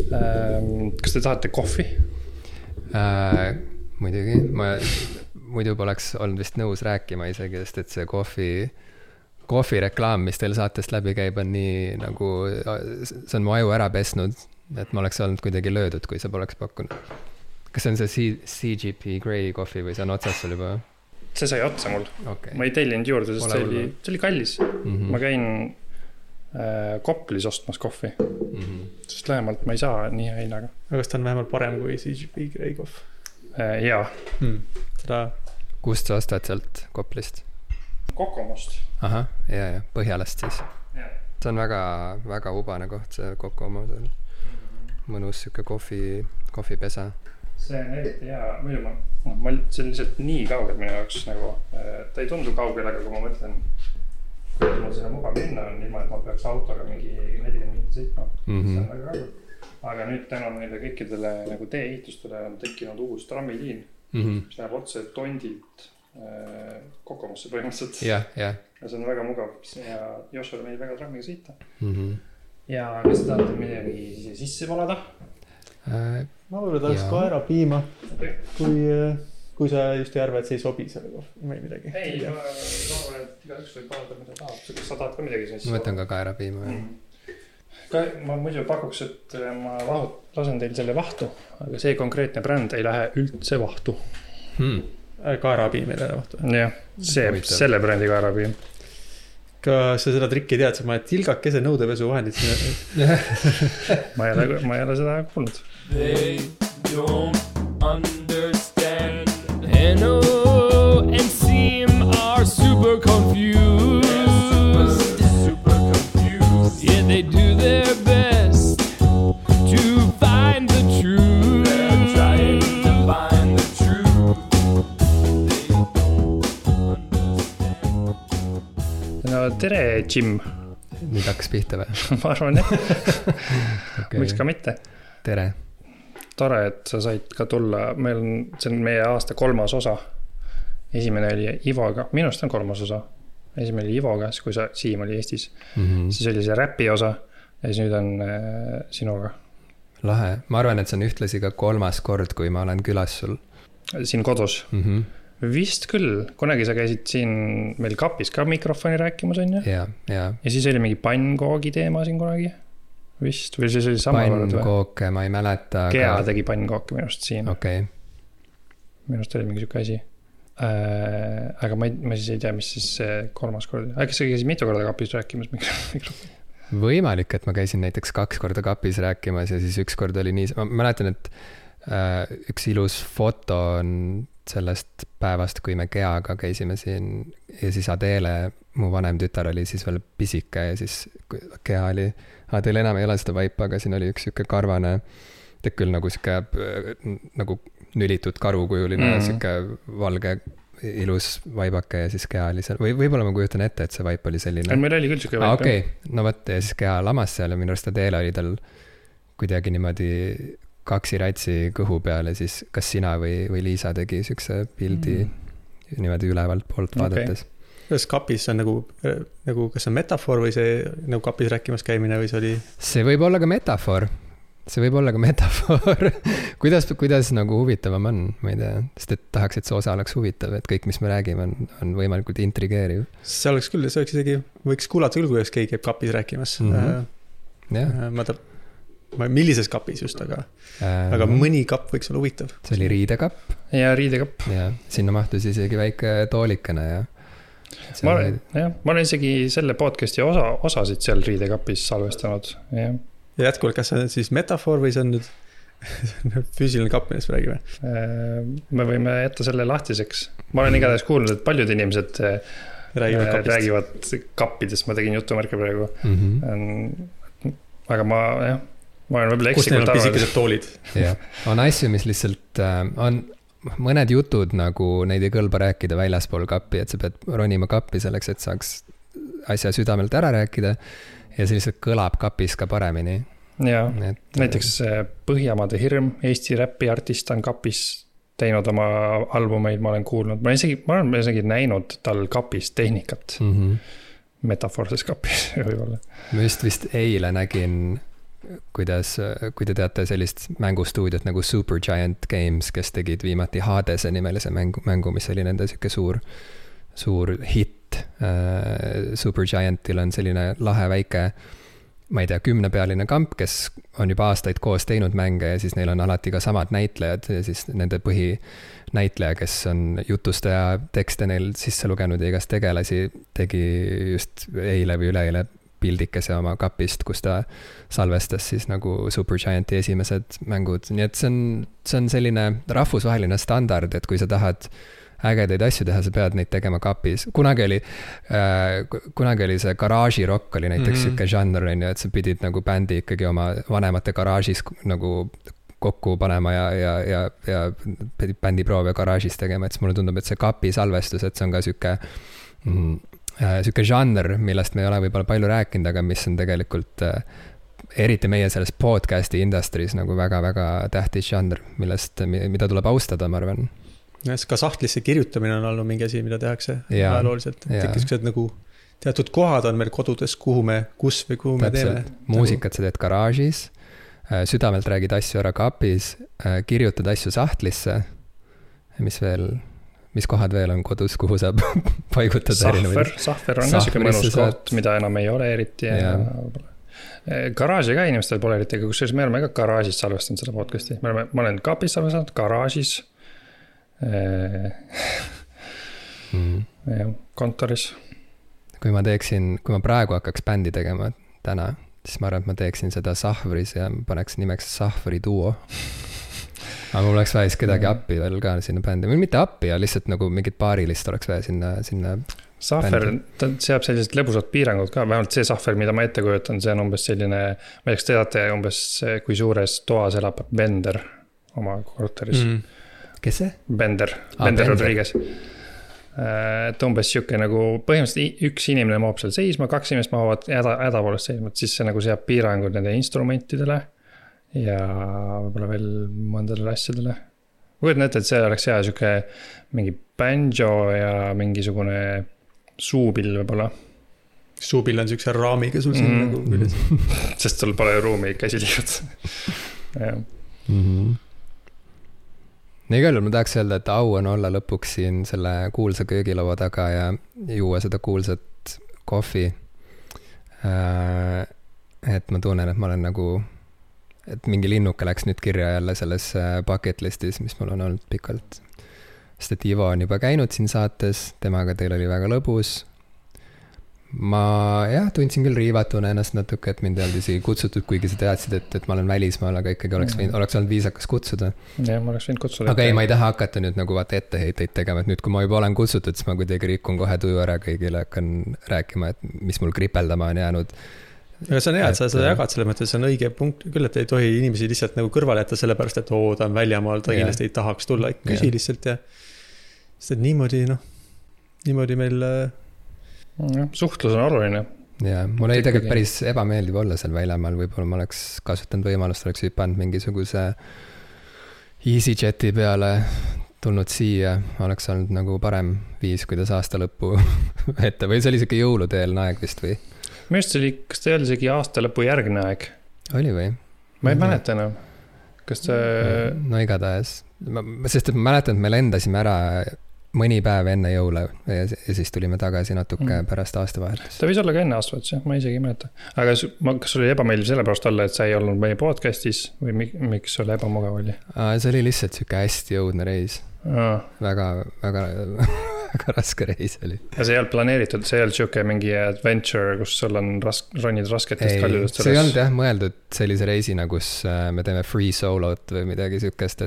Kas te tahate kohvi? Muidugi, ma muidu poleks olnud vist nõus rääkima isegi, sest et see kohvi reklaam, mis teil saatest läbi käib, on nii nagu, see on mu aju ära pesnud, et ma oleks olnud kuidagi löödud, kui sa poleks pakkunud. Kas see on see CGP Grey kohvi või see on otsas sul juba? See sai otsa mul. Okay. Ma ei tellinud juurde, sest see oli kallis. Ma käin Koplis ostmas kohvi. Sest lähemalt ma ei saa nii hea hinnaga. Aga kas ta on vähemalt parem kui CGP Grey kohv? Jaa. Kust sa ostad sealt Koplist? Kokomost. Aha, ja, Põhjalast siis. See on väga, väga ubane koht, see Kokomos. Mõnus siuke kohvipesa. See on eriti hea, muidu see on lihtsalt nii kaugel minu jaoks nagu, ta ei tundu kaugel, aga kui ma mõtlen, kuidas mul sinna mugav minna on, ilma et ma peaks autoga mingi 40 minutit sõitma, see on väga kaugel. Aga nüüd täna meile kõikidele nagu tee-ehitustele on tekkinud uus trammiliin, mis läheb otse Tondilt Kokomosse põhimõtteliselt. Ja see on väga mugav ja Joshua meil väga trammiga sõita. Ja kas tahate midagi sisse valada? Ma võib-olla tahaks kaerapiima, kui sa just ei arva, et see ei sobi selle kohvi või midagi. Ei, ma arvan, et igaüks võib valada, mida tahab. Kas sa tahad ka midagi sisse? Ma võtan ka kaerapiima. Ma muidu pakuks, et ma lasen teil selle vahtu, aga see konkreetne bränd ei lähe üldse vahtu. Kaerapiim ei lähe vahtu? Jah, selle brändi kaerapiim. Kas sa seda trikki tead, ma tilgakese nõudepesu vahendid sinna? ma ei ole seda kuulnud. They don't understand. NO and SEAM are super confused. Super confused. Yeah, they do their best to find the truth. They're trying to find the truth. They don't understand. No, tere, Jim. Nüüd hakkas pihta või? Ma arvan, okay. Miks ka mitte? Tere. Tore, et sa said ka tulla. See on meie aasta 3. osa. Esimene oli Ivoga. Minust on 3. osa. Esimene oli Ivoga, kui Siim oli Eestis. Siis oli see räpi osa ja siis nüüd on sinuga. Lahe. Ma arvan, et see on ühtlasi ka 3. kord, kui ma olen külas sul. Siin kodus? Vist küll. Kunagi sa käisid siin meil kapis ka mikrofoni rääkimas, on ju? Ja. Ja siis oli mingi pannkoogi teema siin kunagi? Vist, või siis oli sama kord või? Pannkooke, ma ei mäleta. Kea tegi pannkooke minust siin. Okay. Minust oli mingi siuke asi. Aga ma siis ei tea, mis siis see 3. kord. Kas sa käisid mitu korda kapis rääkimas mikrofoni? Võimalik, et ma käisin näiteks 2 korda kapis rääkimas ja siis 1 kord oli nii. Ma mäletan, et üks ilus foto on sellest päevast, kui me Keaga käisime siin ja siis Adele, mu vanem tütar oli siis veel pisike ja siis Kea oli teil enam ei ole seda vaipa, aga siin oli üks siuke karvane, teeb küll nagu siuke nagu nülitud karukujuline, siuke valge ilus vaibake ja siis Kea oli seal. Võib-olla ma kujutan ette, et see vaip oli selline. Meil oli küll siuke vaip. Okei, no võt, ja siis Kea lamas seal ja minu arust Adele oli tal kuidagi niimoodi kaksiratsi kõhu peal ja siis kas sina või Liisa tegi siukse pildi niimoodi ülevalt poolt vaadates. Kas kapis on nagu kas on metafoor või see nagu kapis rääkimas käimine või see oli? See võib olla ka metafoor. Kuidas nagu huvitavam on, ma ei tea, sest et tahaks, et see osa oleks huvitav, et kõik, mis me räägime, on võimalikult intrigeeriv. See oleks isegi, võiks kuulata küll, kuidas keegi käib kapis rääkimas. Millises kapis just, aga mõni kapp võiks olla huvitav. See oli riidekapp. Ja riidekapp. Ja sinna mahtus isegi väike toolikene ja ma olen isegi selle podcasti osasid seal riidekapis salvestanud. Ja jätkuvalt, kas see on siis metafoor või see on nüüd füüsiline kapp, millest räägime? Me võime jätta selle lahtiseks. Ma olen igatahes kuulnud, et paljud inimesed räägivad kappidest. Ma tegin jutumärke praegu. Aga ma olen võib-olla kus neil on pisikesed toolid? On asju, mis lihtsalt on mõned jutud, nagu neid ei kõlba rääkida väljaspool kappi, et sa pead ronima kappi selleks, et saaks asja südamelt ära rääkida ja see lihtsalt kõlab kapis ka paremini. Ja, näiteks Põhjamaade Hirm, Eesti räpiartist on kapis teinud oma albumeid, ma olen kuulnud. Ma olen isegi näinud tal kapis tehnikat. Metafoorses kapis võib-olla. Ma vist eile nägin kui te teate sellist mängustuudiot nagu Supergiant Games, kes tegid viimati Hadese nimelise mängu, mis oli nende siuke suur hitt. Supergiantil on selline lahe väike, ma ei tea, 10-pealine kamp, kes on juba aastaid koos teinud mänge ja siis neil on alati ka samad näitlejad ja siis nende põhinäitleja, kes on jutustaja, tekste neil sisse lugenud ja igast tegelasi, tegi just eile või üleeile pildikese oma kapist, kus ta salvestas siis nagu Supergianti esimesed mängud. Nii et see on selline rahvusvaheline standard, et kui sa tahad ägedaid asju teha, sa pead neid tegema kapis. Kunagi oli see garaažirokk oli näiteks siuke žanr, et sa pidid nagu bändi ikkagi oma vanemate garaažis nagu kokku panema ja bändiproove garaažis tegema, et mulle tundub, et see kapi salvestus, et see on ka siuke žanr, millest me ei ole võib-olla palju rääkinud, aga mis on tegelikult eriti meie selles podcasti industry's nagu väga-väga tähtis žanr, mida tuleb austada, ma arvan. Ka sahtlisse kirjutamine on olnud mingi asi, mida tehakse ajalooliselt. Tekkis nagu teatud kohad on meil kodudes, kuhu me teeme. Muusikat sa teed garaažis, südamelt räägid asju ära kapis, kirjutad asju sahtlisse, mis kohad veel on kodus, kuhu saab paigutada Sahver on ka siuke mõnus koht, mida enam ei ole eriti. Garaaži ka inimestel pole eriti, aga kusjuures me oleme ka garaažis salvestanud seda podcasti. Ma olen kapis salvestanud, garaažis, kontoris. Kui ma praegu hakkaks bändi tegema täna, siis ma arvan, et ma teeksin seda Sahvris ja paneks nimeks Sahvri duo. Aga mul oleks vaja kedagi appi veel ka sinna bändi. Mitte appi, ja lihtsalt nagu mingit paarilist oleks vaja sinna Sahver, ta seab sellised lõbusad piirangud ka. Vähemalt see Sahver, mida ma ette kujutan, see on umbes selline, ma ei teate umbes kui suures toas elab Bender oma korteris. Kes see? Bender Rodriguez. Et umbes siuke nagu põhimõtteliselt üks inimene maab seal seisma, 2 inimest maavad hädapoolest seisma, et siis see nagu seab piirangud nende instrumentidele ja võib-olla veel mõndadele asjadele. Kujutan ette, et see oleks hea siuke mingi banjo ja mingisugune suupill võib-olla. Suupill on siukse raamiga sul siin nagu küljes. Sest sul pole ruumi käsi liivad. Igal juhul ma tahaks öelda, et au on olla lõpuks siin selle kuulsa köögilaua taga ja juua seda kuulsat kohvi. Et ma tunnen, et ma olen nagu, et mingi linnuke läks nüüd kirja jälle selles bucket listis, mis mul on olnud pikalt. Sest et Ivo on juba käinud siin saates, temaga teil oli väga lõbus. Ma tundsin küll riivatuna ennast natuke, et mind ei olnud isegi kutsutud, kuigi sa teadsid, et ma olen välismaal, aga ikkagi oleks olnud viisakas kutsuda. Jah, ma oleks võinud kutsuda. Aga ei, ma ei taha hakata nüüd nagu etteheiteid tegema, et nüüd, kui ma juba olen kutsutud, siis ma kuidagi rikun kohe tuju ära kõigile, hakkan rääkima, et mis mul kripeldama on jäänud. Aga see on hea, et sa seda jagad selle mõttes, see on õige punkt küll, et ei tohi inimesi lihtsalt nagu kõrvale jätta sellepärast, et ta on väljamaal, ta kindlasti ei tahaks tulla, küsi lihtsalt ja sest et niimoodi meil suhtlus on oluline. Ja mul ei tegelikult päris ebameeldiv olla seal väljamaal, võib-olla ma oleks kasutanud võimalust, oleks hüpanud mingisuguse EasyJeti peale, tulnud siia, oleks olnud nagu parem viis, kuidas aasta lõppu ette, või see oli siuke jõuluteelne aeg vist või? Minu arust see oli, kas ta ei olnud isegi aasta lõpu järgne aeg? Oli või? Ma ei mäleta enam. Kas ta... No igatahes. Sest et ma mäletan, et me lendasime ära mõni päev enne jõule ja siis tulime tagasi natuke pärast aastavahetust. Ta võis olla ka enne aastavahetust, ma isegi ei mäleta. Aga kas sul oli ebameeldiv sellepärast olla, et sa ei olnud meie podcastis või miks sul ebamugav oli? See oli lihtsalt siuke hästi jõudne reis. Väga raske reis oli. Ja see ei olnud planeeritud, see ei olnud siuke mingi adventure, kus sul on ronid rasketest kaljudest. See ei olnud mõeldud sellise reisina, kus me teeme free solot või midagi siukest,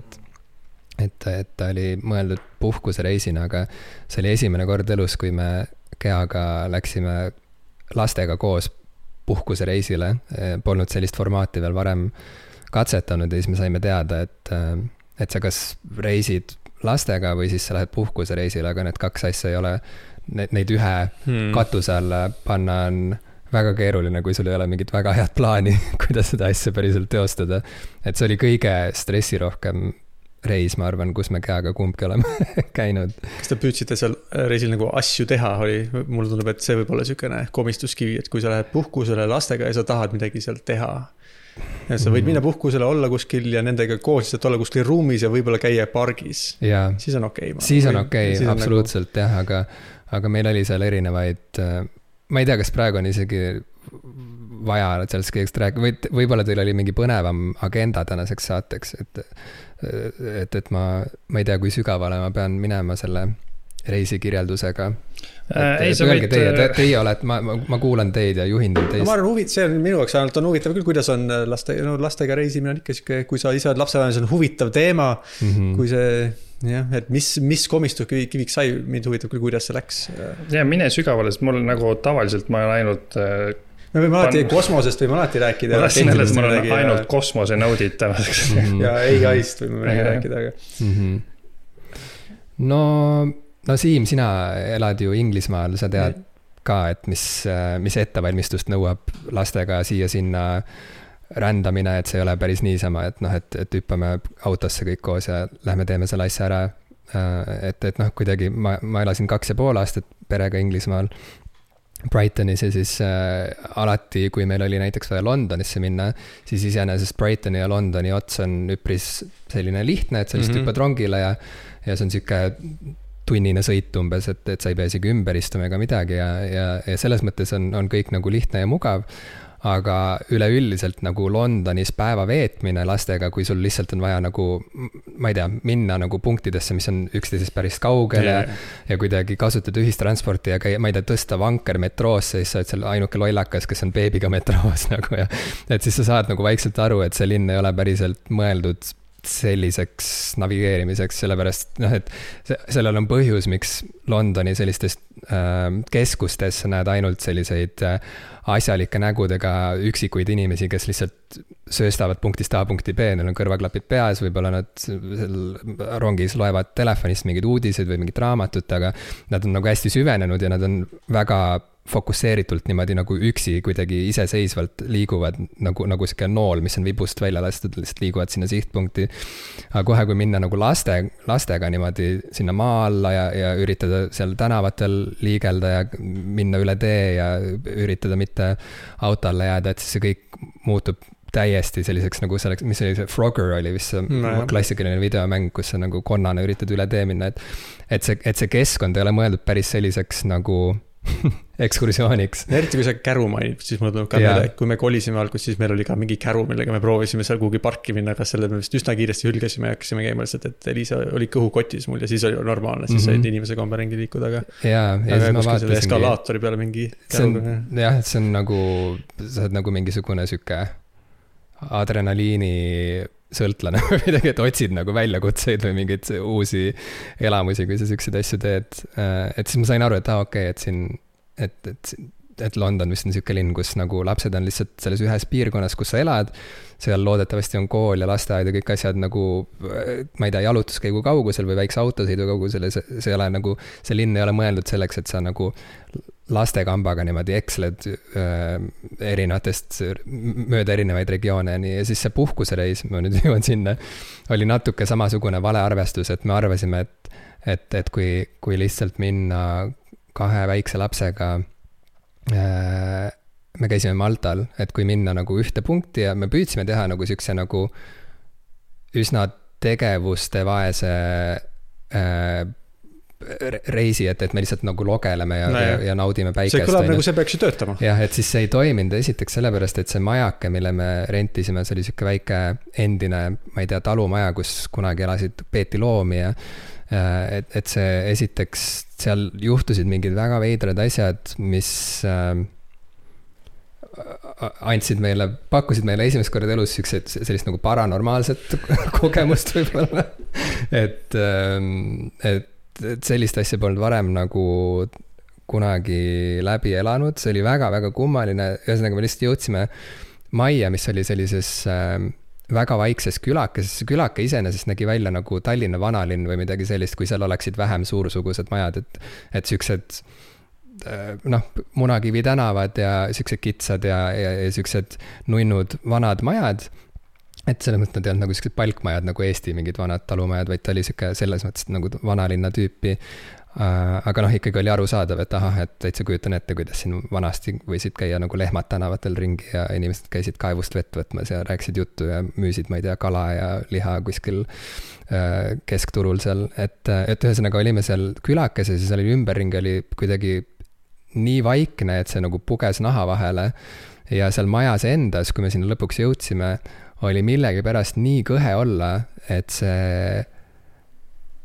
et ta oli mõeldud puhkusereisina, aga see oli esimene kord elus, kui me Keaga läksime lastega koos puhkusereisile. Polnud sellist formaati veel varem katsetanud ja siis me saime teada, et sa kas reisid lastega või siis sa lähed puhkusereisile, aga need 2 asja ei ole, neid ühe katuse alla panna on väga keeruline, kui sul ei ole mingit väga head plaani, kuidas seda asja päriselt teostada. Et see oli kõige stressirohkem reis, ma arvan, kus me Keaga kumbki oleme käinud. Kas te püüdsite seal reisil nagu asju teha oli? Mulle tundub, et see võib olla siukene komistuskivi, et kui sa lähed puhkusele lastega ja sa tahad midagi seal teha, ja sa võid minna puhkusele, olla kuskil ja nendega koos lihtsalt olla kuskil ruumis ja võib-olla käia pargis. Siis on okei. Siis on okei, absoluutselt jah, aga meil oli seal erinevaid, ma ei tea, kas praegu on isegi vaja sellest kõigest rääkida, võib-olla teil oli mingi põnevam agenda tänaseks saateks, et ma ei tea, kui sügavale ma pean minema selle reisikirjeldusega. Teie olete, ma kuulan teid ja juhindan teist. Ma arvan, see on minu jaoks ainult on huvitav küll, kuidas on lastega reisimine on ikka siuke, kui sa ise oled lapsevanem, see on huvitav teema, kui see, jah, et mis komistuskiviks sai, mind huvitab küll, kuidas see läks. Ja mine sügavale, sest mul nagu tavaliselt ma olen ainult me võime alati kosmosest võime alati rääkida. Ma tahtsin selles, mul on ainult kosmose nõudid tänaseks. Ja AI-st võime rääkida. No Siim, sina elad ju Inglismaal, sa tead ka, et mis ettevalmistust nõuab lastega siia-sinna rändamine, et see ei ole päris niisama, et hüppame autosse kõik koos ja lähme teeme selle asja ära. Et kuidagi ma elasin 2,5 aastat perega Inglismaal Brightonis ja siis alati, kui meil oli näiteks vaja Londonisse minna, siis iseenesest Brightoni ja Londoni ots on üpris selline lihtne, et sa lihtsalt hüppad rongile ja see on siuke tunnine sõit umbes, et sa ei pea isegi ümber istuma ega midagi ja selles mõttes on kõik nagu lihtne ja mugav, aga üleüldiselt nagu Londonis päeva veetmine lastega, kui sul lihtsalt on vaja nagu, ma ei tea, minna nagu punktidesse, mis on üksteisest päris kaugel ja kuidagi kasutada ühistransporti ja käia, ma ei tea, tõsta vanker metroosse, siis sa oled seal ainuke lollakas, kes on beebiga metroos nagu ja et siis sa saad nagu vaikselt aru, et see linn ei ole päriselt mõeldud selliseks navigeerimiseks, sellepärast, et sellel on põhjus, miks Londoni sellistes keskustes näed ainult selliseid asjalike nägudega üksikuid inimesi, kes lihtsalt sööstavad punktist A punkti B, neil on kõrvaklapid peas, võib-olla nad seal rongis loevad telefonist mingeid uudiseid või mingit raamatut, aga nad on nagu hästi süvenenud ja nad on väga fokusseeritult niimoodi nagu üksi kuidagi iseseisvalt liiguvad nagu siuke nool, mis on vibust välja lastud, lihtsalt liiguvad sinna sihtpunkti. Aga kohe, kui minna nagu lastega niimoodi sinna maa alla ja üritada seal tänavatel liigelda ja minna üle tee ja üritada mitte auto alla jääda, et siis see kõik muutub täiesti selliseks nagu selleks, mis oli see Frogger oli vist see klassikaline videomäng, kus sa nagu konnana üritad üle tee minna, et see keskkond ei ole mõeldud päris selliseks nagu ekskursiooniks. Eriti kui sa käru mainid, siis mul tuleb ka meelde, et kui me kolisime algus, siis meil oli ka mingi käru, millega me proovisime seal kuhugi parki minna, aga selle me vist üsna kiiresti hülgasime ja hakkasime käima lihtsalt, et Liisa oli kõhukotis mul ja siis oli normaalne, siis said inimese kombe ringi liikuda, aga siis ma vaatasin eskalaatori peale mingi käruga. See on nagu, sa oled nagu mingisugune süke adrenaliini sõltlane või midagi, et otsid nagu väljakutseid või mingeid uusi elamusi, kui sa siukseid asju teed. Et siis ma sain aru, et okei, et siin, et London vist on siuke linn, kus nagu lapsed on lihtsalt selles ühes piirkonnas, kus sa elad, seal loodetavasti on kool ja lasteaed ja kõik asjad nagu, ma ei tea, jalutuskäigu kaugusel või väikse autosõidu kaugusel, see ei ole nagu, see linn ei ole mõeldud selleks, et sa nagu lastekambaga niimoodi eksled erinevatest, mööda erinevaid regioone ja siis see puhkusereis, ma nüüd jõuan sinna, oli natuke samasugune valearvestus, et me arvasime, et kui lihtsalt minna 2 väikse lapsega, me käisime Maltal, et kui minna nagu ühte punkti ja me püüdsime teha nagu siukse nagu üsna tegevuste vaese reisi, et me lihtsalt nagu logeleme ja naudime päikest. See kõlab nagu see peaks ju töötama. Jah, et siis see ei toiminud esiteks sellepärast, et see majake, mille me rentisime, see oli siuke väike endine, ma ei tea, talumaja, kus kunagi peeti loomi ja et see esiteks seal juhtusid mingid väga veidrad asjad, mis pakkusid meile esimest korda elus sellist nagu paranormaalset kogemust võib-olla, et sellist asja polnud varem nagu kunagi läbi elanud, see oli väga-väga kummaline, ühesõnaga me lihtsalt jõudsime majja, mis oli sellises väga vaikses külakeses, see külake iseenesest nägi välja nagu Tallinna vanalinn või midagi sellist, kui seal oleksid vähem suursugused majad, et siuksed Munakivi tänavad ja siuksed kitsad ja siuksed nunnud vanad majad. et selles mõttes nad ei olnud nagu sellised palkmajad nagu Eesti mingid vanad talumajad, vaid ta oli sihuke selles mõttes nagu vanalinna tüüpi. Aga noh, ikkagi oli arusaadav, et ahah, et täitsa kujutan ette, kuidas siin vanasti võisid käia nagu lehmad tänavatel ringi ja inimesed käisid kaevust vett võtmas ja rääkisid juttu ja müüsid, ma ei tea, kala ja liha kuskil keskturul seal, et ühesõnaga olime seal külakeses ja seal oli ümberringi oli kuidagi nii vaikne, et see nagu puges naha vahele ja seal majas endas, kui me sinna lõpuks jõudsime, oli millegipärast nii kõhe olla, et see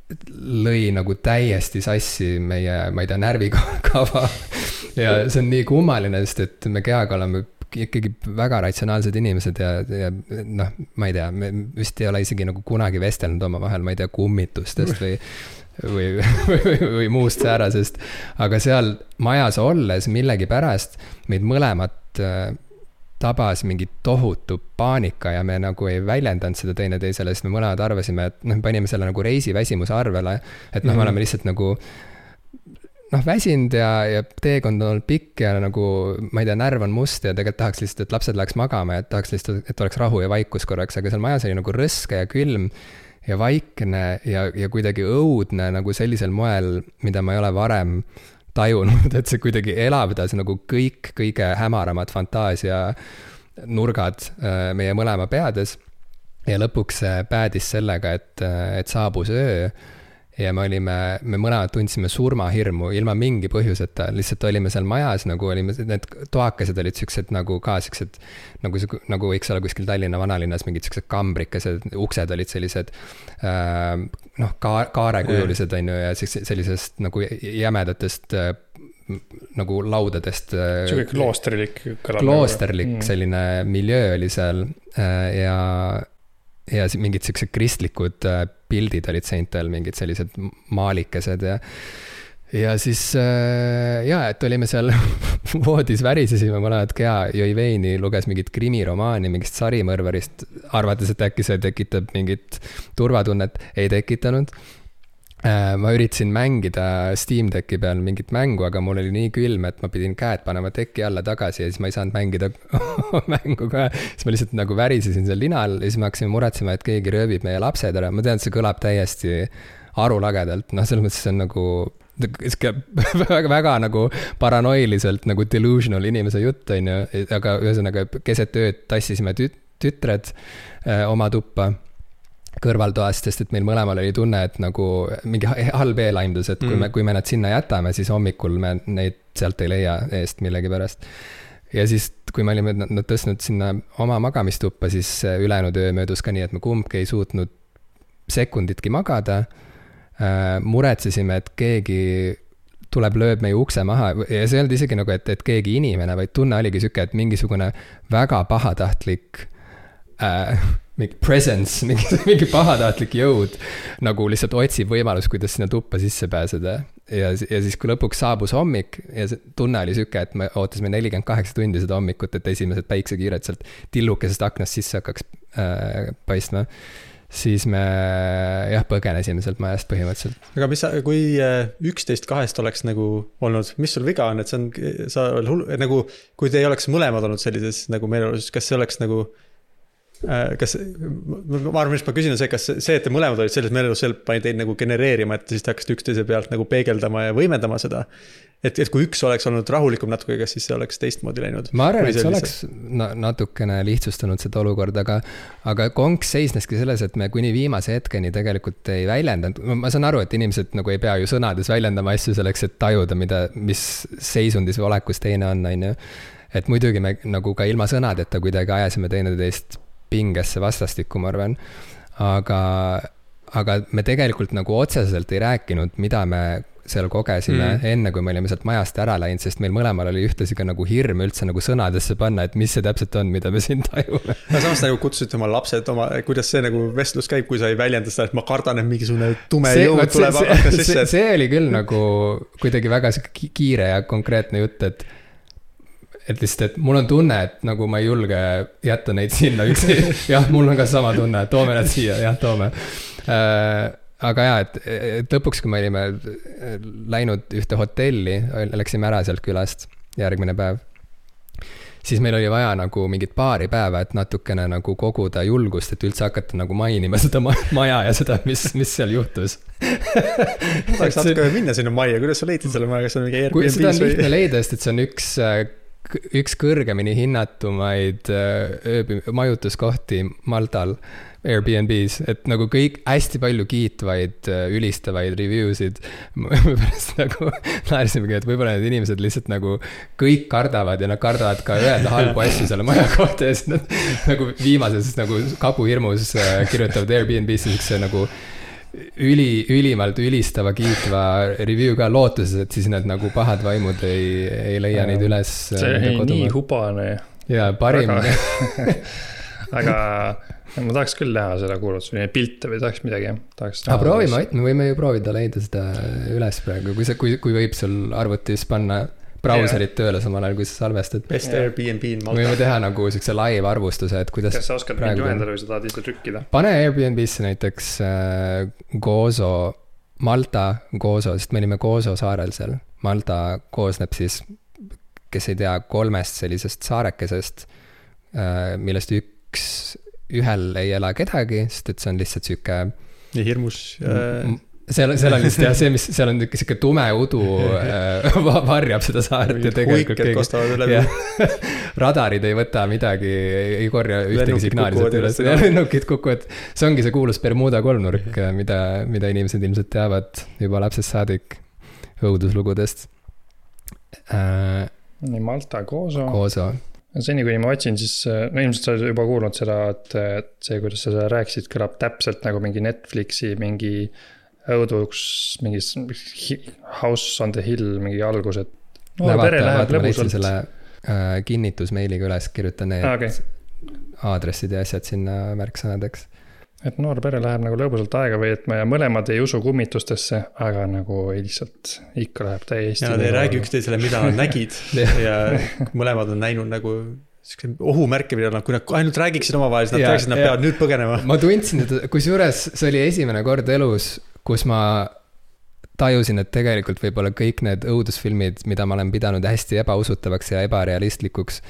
lõi nagu täiesti sassi meie, ma ei tea, närvikava ja see on nii kummaline, sest et me kehaga oleme ikkagi väga ratsionaalsed inimesed ja noh, ma ei tea, me vist ei ole isegi nagu kunagi vestelnud omavahel, ma ei tea, kummitustest või muust säärasest, aga seal majas olles millegipärast meid mõlemat tabas mingi tohutu paanika ja me nagu ei väljendanud seda teineteisele, sest me mõlemad arvasime, et noh, panime selle nagu reisiväsimuse arvele, et noh, me oleme lihtsalt nagu noh, väsinud ja teekond on olnud pikk ja nagu, ma ei tea, närv on must ja tegelikult tahaks lihtsalt, et lapsed läheks magama ja tahaks lihtsalt, et oleks rahu ja vaikus korraks, aga seal majas oli nagu rõske ja külm ja vaikne ja kuidagi õudne nagu sellisel moel, mida ma ei ole varem tajunud, et see kuidagi elavdas nagu kõik kõige hämaramad fantaasia nurgad meie mõlema peades ja lõpuks päädis sellega, et saabus öö ja me mõlemad tundsime surmahirmu ilma mingi põhjuseta, lihtsalt olime seal majas, nagu olime, need toakesed olid siuksed nagu ka siuksed, nagu võiks olla kuskil Tallinna vanalinnas mingid siuksed kambrikesed, uksed olid sellised noh, kaarekujulised on ju ja sellisest nagu jämedatest nagu laudadest. Siuke kloosterlik selline miljöö oli seal ja mingid siuksed kristlikud pildid olid seintel, mingid sellised maalikesed ja siis et olime seal voodis, värisesime mõlemad keha, jõi veini, luges mingit krimiromaani, mingist sarimõrvarist, arvates, et äkki see tekitab mingit turvatunnet, ei tekitanud. Ma üritasin mängida Steam Decki peal mingit mängu, aga mul oli nii külm, et ma pidin käed panema teki alla tagasi ja siis ma ei saanud mängida mängu ka. Siis ma lihtsalt nagu värisesin seal linal ja siis me hakkasime muretsema, et keegi röövib meie lapsed ära. Ma tean, et see kõlab täiesti arulagedalt. Noh, selles mõttes see on nagu väga nagu paranoiliselt nagu delusional inimese jutt, on ju. Aga ühesõnaga keset ööd tassisime tütred oma tuppa kõrvaltoast, sest et meil mõlemal oli tunne, et nagu mingi halb eelaimdus, et kui me nad sinna jätame, siis hommikul me neid sealt ei leia eest millegipärast. Ja siis, kui me olime nad tõstnud sinna oma magamistuppa, siis ülejäänud öö möödus ka nii, et me kumbki ei suutnud sekunditki magada. Muretsesime, et keegi tuleb, lööb meie ukse maha ja see ei olnud isegi nagu, et keegi inimene, vaid tunne oligi siuke, et mingisugune väga pahatahtlik mingi presence, mingi pahatahtlik jõud nagu lihtsalt otsib võimalus, kuidas sinna tuppa sisse pääseda. Ja siis, kui lõpuks saabus hommik ja see tunne oli siuke, et me ootasime 48 tundi seda hommikut, et esimesed päiksekiired sealt tillukesest aknast sisse hakkaks paistma, siis me põgenesime sealt majast põhimõtteliselt. Aga kui 11-2 oleks nagu olnud, mis sul viga on, et sa nagu, kui te ei oleks mõlemad olnud sellises nagu meeleolus, kas see oleks nagu ma arvan, mis ma küsin on see, kas see, et te mõlemad olid selles meelelus, pani teid nagu genereerima, et siis te hakkasite üksteise pealt nagu peegeldama ja võimendama seda. Et kui üks oleks olnud rahulikum natuke, kas siis see oleks teistmoodi läinud? Ma arvan, et see oleks natukene lihtsustanud seda olukorda, aga konks seisneski selles, et me kuni viimase hetkeni tegelikult ei väljendanud. Ma saan aru, et inimesed nagu ei pea ju sõnades väljendama asju selleks, et tajuda, mis seisundis või olekus teine on, on ju. Et muidugi me nagu ka ilma sõnadeta kuidagi ajasime teineteist pingesse vastastikku, ma arvan. Aga me tegelikult nagu otseselt ei rääkinud, mida me seal kogesime enne, kui me olime sealt majast ära läinud, sest meil mõlemal oli ühtlasi ka nagu hirm üldse nagu sõnadesse panna, et mis see täpselt on, mida me siin tajume. Samas nagu kutsusite oma lapsed, kuidas see nagu vestlus käib, kui sa ei väljenda seda, et ma kardan, et mingisugune tume jõud tuleb akna sisse. See oli küll nagu kuidagi väga kiire ja konkreetne jutt, et lihtsalt, et mul on tunne, et nagu ma ei julge jätta neid sinna üksi. Jah, mul on ka sama tunne, et toome nad siia, jah, toome. Aga jah, et lõpuks, kui me olime läinud ühte hotelli, läksime ära sealt külast järgmine päev, siis meil oli vaja nagu mingit paari päeva, et natukene nagu koguda julgust, et üldse hakata nagu mainima seda maja ja seda, mis seal juhtus. Tahaks natuke minna sinna majja, kuidas sa leidsid selle maja, kas on mingi Airbnb? Seda on lihtne leida, sest et see on üks kõrgemini hinnatumaid majutuskohti Maltal Airbnb's, et nagu kõik hästi palju kiitvaid, ülistavaid review'sid. Pärast nagu naersimegi, et võib-olla need inimesed lihtsalt nagu kõik kardavad ja nad kardavad ka öelda halbu asju selle maja kohta ja siis nad nagu viimases nagu kabuhirmus kirjutavad Airbnb'sse siukse nagu ülimalt ülistava kiitva review ka lootuses, et siis need nagu pahad vaimud ei leia neid üles. See oli nii hubane. Ja parim. Aga ma tahaks küll näha seda kuulutus või pilte või tahaks midagi. Proovime, me võime ju proovida leida seda üles praegu, kui võib sul arvutis panna brauserit tööle samal ajal, kui sa salvestad. Best Airbnb in Malta. Võime teha nagu siukse live arvustuse, et kuidas. Kas sa oskad mind juhendada või sa tahad ise trükkida? Pane Airbnb'sse näiteks Gozo, Malta Gozo, sest me olime Gozo saarel seal. Malta koosneb siis, kes ei tea, 3 sellisest saarekesest, millest ühel ei ela kedagi, sest et see on lihtsalt siuke nii hirmus seal on lihtsalt see, mis seal on siuke tume udu varjab seda saart ja tegelikult huiked kostavad üle radarid ei võta midagi, ei korja ühtegi signaali üles, lennukid kukuvad. See ongi see kuulus Bermuda kolmnurk, mida inimesed ilmselt teavad juba lapsest saadik õuduslugudest. Nii Malta Gozo. Seni, kui ma otsin, siis ilmselt sa oled juba kuulnud seda, et see, kuidas sa rääkisid, kõlab täpselt nagu mingi Netflixi, mingi õuduks, mingi House on the Hill, mingi algus, et pere läheb lõbusalt. Selle kinnitusmeiliga üles kirjutan need aadressid ja asjad sinna märksõnadeks. Et noor pere läheb nagu lõbusalt aega või et me mõlemad ei usu kummitustesse, aga nagu lihtsalt ikka läheb täiesti. Ja nad ei räägi üksteisele, mida nad nägid ja mõlemad on näinud nagu ohumärke, mida nad, kui nad ainult räägiksid omavahel, siis nad räägiksid, nad peavad nüüd põgenema. Ma tundsin, et kusjuures see oli esimene kord elus, kus ma tajusin, et tegelikult võib-olla kõik need õudusfilmid, mida ma olen pidanud hästi ebausutavaks ja ebarealistlikuks,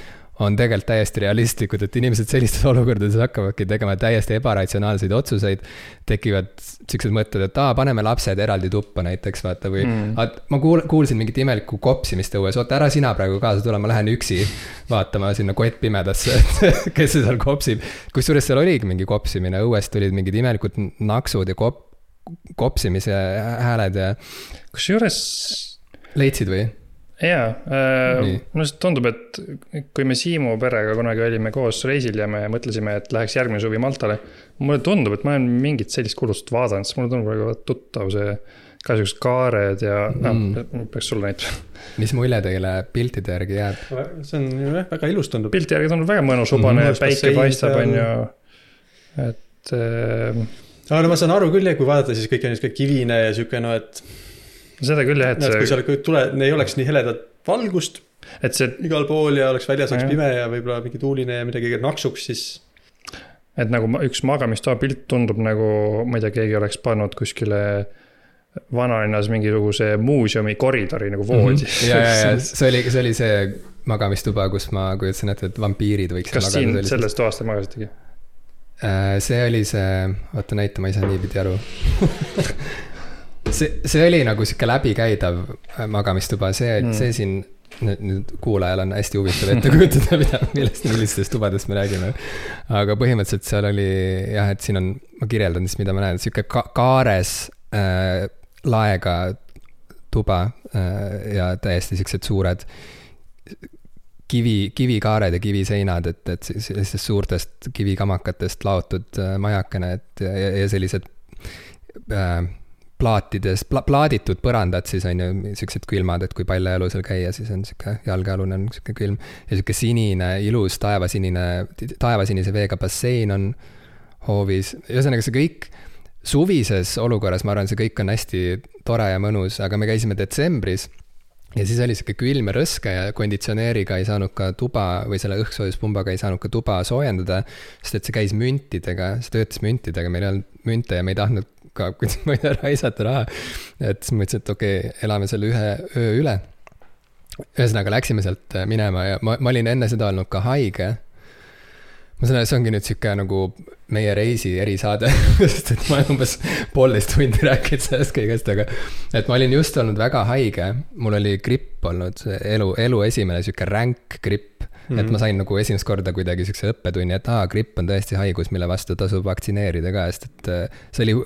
on tegelikult täiesti realistlikud, et inimesed sellistes olukordades hakkavadki tegema täiesti ebaratsionaalseid otsuseid, tekivad siuksed mõtted, et paneme lapsed eraldi tuppa näiteks, vaata, või ma kuulsin mingit imelikku kopsimist õues, oota, ära sina praegu kaasa tule, ma lähen üksi vaatama sinna kott pimedasse, kes see seal kopsib. Kusjuures seal oligi mingi kopsimine, õuest tulid mingid imelikud naksud ja kopsimise hääled ja... Kusjuures... Leidsid või? Jaa, mulle tundub, et kui me Siimu perega kunagi olime koos reisil ja me mõtlesime, et läheks järgmine suvi Maltale, mulle tundub, et ma olen mingit sellist kulust vaadanud, sest mulle tundub väga tuttav see ka sellised kaared ja peaks sulle näitama. Mis mulje teile piltide järgi jääb? See on väga ilus tundub. Pilti järgi tundub väga mõnus, ubane, päike paistab on ju, et... Aga no ma saan aru küll, kui vaadata, siis kõik on niisugune kivine ja siuke, no et... Seda küll jah, et kui seal ei oleks nii heledat valgust, et see igal pool ja oleks väljas oleks pime ja võib-olla mingi tuuline ja midagi naksuks, siis... Et nagu üks magamistoa pilt tundub nagu, ma ei tea, keegi oleks pannud kuskile vanalinnas mingisuguse muuseumi koridori nagu voodi. Ja see oli see magamistuba, kus ma kujutsin ette, et vampiirid võiks... Kas siin sellest toast te magasitegi? See oli see... Oota näita, ma ei saa niipidi aru. See oli nagu siuke läbikäidav magamistuba, see siin nüüd kuulajal on hästi huvitav ette kujutada, millistest tubadest me räägime. Aga põhimõtteliselt seal oli jah, et siin on, ma kirjeldan siis, mida ma näen, siuke kaares laega tuba ja täiesti siuksed suured kivikaared ja kiviseinad, et sellistest suurtest kivikamakatest laotud majakene, ja sellised plaaditud põrandad siis on ju siuksed külmad, et kui palju elu seal käia, siis on siuke jalgealune on siuke külm ja siuke sinine, ilus taevasinise veega bassein on hoovis. Ühesõnaga see kõik suvises olukorras, ma arvan, see kõik on hästi tore ja mõnus, aga me käisime detsembris ja siis oli siuke külm ja rõske ja konditsioneeriga ei saanud ka tuba või selle õhksoojuspumbaga ei saanud ka tuba soojendada, sest et see käis müntidega, see töötas müntidega, meil ei olnud münte ja me ei tahtnud ka, kuidas ma ei tea, raisata raha. Et siis mõtlesin, et okei, elame selle ühe öö üle. ühesõnaga läksime sealt minema ja ma olin enne seda olnud ka haige. Ma saan, see ongi nüüd siuke nagu meie reisi erisaade, sest et ma umbes 1,5 tundi rääkinud sellest kõigest, aga et ma olin just olnud väga haige. Mul oli gripp olnud, elu esimene siuke ränk gripp, et ma sain nagu esimest korda kuidagi siukse õppetunni, et gripp on tõesti haigus, mille vastu tasub vaktsineerida ka, sest et see oli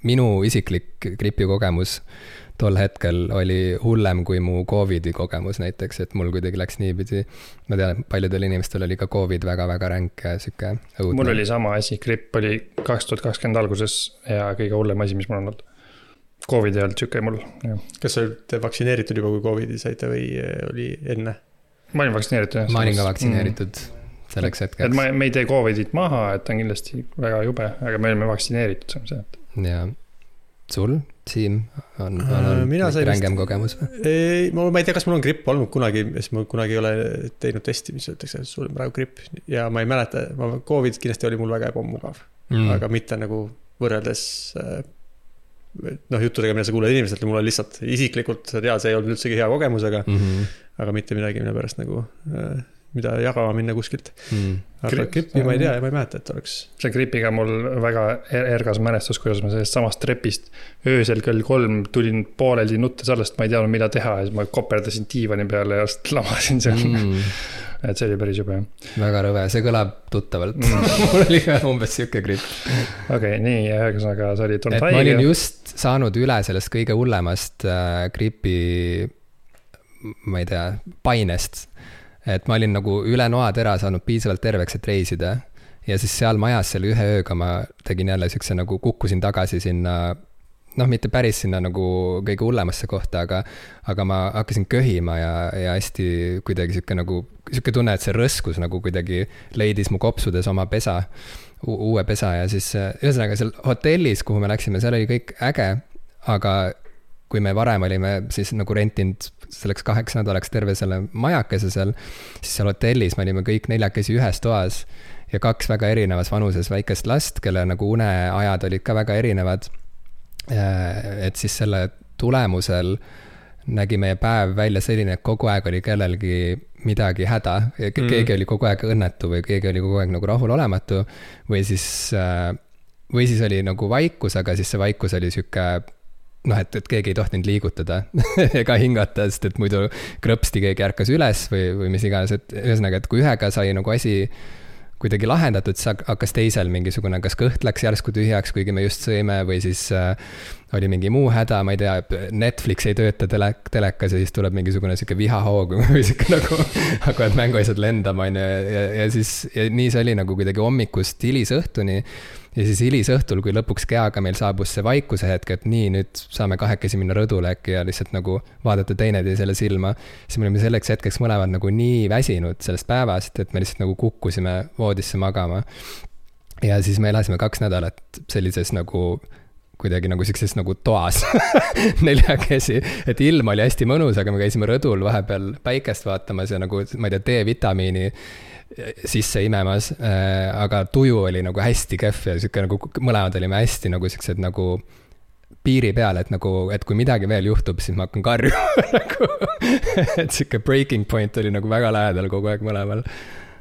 minu isiklik gripi kogemus. Tol hetkel oli hullem kui mu COVIDi kogemus näiteks, et mul kuidagi läks niipidi. Ma tean, et paljudel inimestel oli ka COVID väga-väga ränk ja siuke õudne. Mul oli sama asi, gripp oli 2020 alguses ja kõige hullem asi, mis mul on olnud. COVID ei olnud siuke mul. Ja. Kas te vaktsineeritud juba, kui COVIDi saite või oli enne? Ma olin vaktsineeritud. Ma olin ka vaktsineeritud selleks hetkeks. Et me ei tee COVIDit maha, et on kindlasti väga jube, aga me olime vaktsineeritud. Ja sul, Siim, on rängem kogemus või? Ei, ma ei tea, kas mul on gripp olnud kunagi, sest ma kunagi ei ole teinud testi, mis öeldakse, et sul on praegu gripp. Ja ma ei mäleta, COVID kindlasti oli mul väga ebamugav, aga mitte nagu võrreldes juttudega, mida sa kuuled inimeselt, mul on lihtsalt isiklikult, sa tead, see ei olnud üldsegi hea kogemus, aga mitte midagi, mille pärast nagu mida jagama minna kuskilt. Aga grippi ma ei tea ja ma ei mäleta, et oleks. See gripiga mul väga ergas mälestus, kuidas ma sellest samast trepist öösel kell 3 tulin pooleldi nuttes allast, ma ei teadnud, mida teha, ja ma koperdasin diivani peale ja lamasin seal. Et see oli päris jube. Väga rõve, see kõlab tuttavalt. Mul oli ka umbes siuke gripp. Okei, nii, ühesõnaga sa olid tulnud haige. Ma olin just saanud üle sellest kõige hullemast gripi, ma ei tea, painest. Et ma olin nagu üle noatera saanud piisavalt terveks, et reisida. Ja siis seal majas selle ühe ööga ma tegin jälle siukse nagu kukkusin tagasi sinna, mitte päris sinna nagu kõige hullemasse kohta, aga ma hakkasin köhima ja hästi kuidagi siuke tunne, et see rõskus nagu kuidagi leidis mu kopsudes oma pesa, uue pesa ja siis ühesõnaga seal hotellis, kuhu me läksime, seal oli kõik äge, aga kui me varem olime siis nagu rentinud selleks 8 nädalaks terve selle majakese seal, siis seal hotellis me olime kõik 4 ühes toas ja 2 väga erinevas vanuses väikest last, kelle nagu uneajad olid ka väga erinevad. Et siis selle tulemusel nägi meie päev välja selline, et kogu aeg oli kellelgi midagi häda. Keegi oli kogu aeg õnnetu või keegi oli kogu aeg nagu rahulolematu või siis oli nagu vaikus, aga siis see vaikus oli siuke et keegi ei tohtinud liigutada ega hingata, sest et muidu krõpsti keegi ärkas üles või mis iganes, et ühesõnaga, et kui ühega sai nagu asi kuidagi lahendatud, siis hakkas teisel mingisugune, kas kõht läks järsku tühjaks, kuigi me just sõime või siis oli mingi muu häda, ma ei tea, Netflix ei tööta telekas ja siis tuleb mingisugune siuke vihahoog või siuke nagu hakkavad mänguasjad lendama ja siis nii see oli nagu kuidagi hommikust hilisõhtuni. Ja siis hilisõhtul, kui lõpuks keaga meil saabus see vaikuse hetk, et nii, nüüd saame 2 minna rõdule äkki ja lihtsalt nagu vaadata teineteisele silma, siis me olime selleks hetkeks mõlemad nagu nii väsinud sellest päevast, et me lihtsalt nagu kukkusime voodisse magama. Ja siis me elasime 2 nädalat sellises nagu kuidagi nagu sikses nagu toas 4 käsi, et ilm oli hästi mõnus, aga me käisime rõdul vahepeal päikest vaatamas ja nagu, ma ei tea, D-vitamiini sisse imemas, aga tuju oli nagu hästi kehv ja siuke nagu mõlemad olime hästi nagu siuksed nagu piiri peal, et nagu, et kui midagi veel juhtub, siis ma hakkan karjuma nagu, et siuke breaking point oli nagu väga lähedal kogu aeg mõlemal.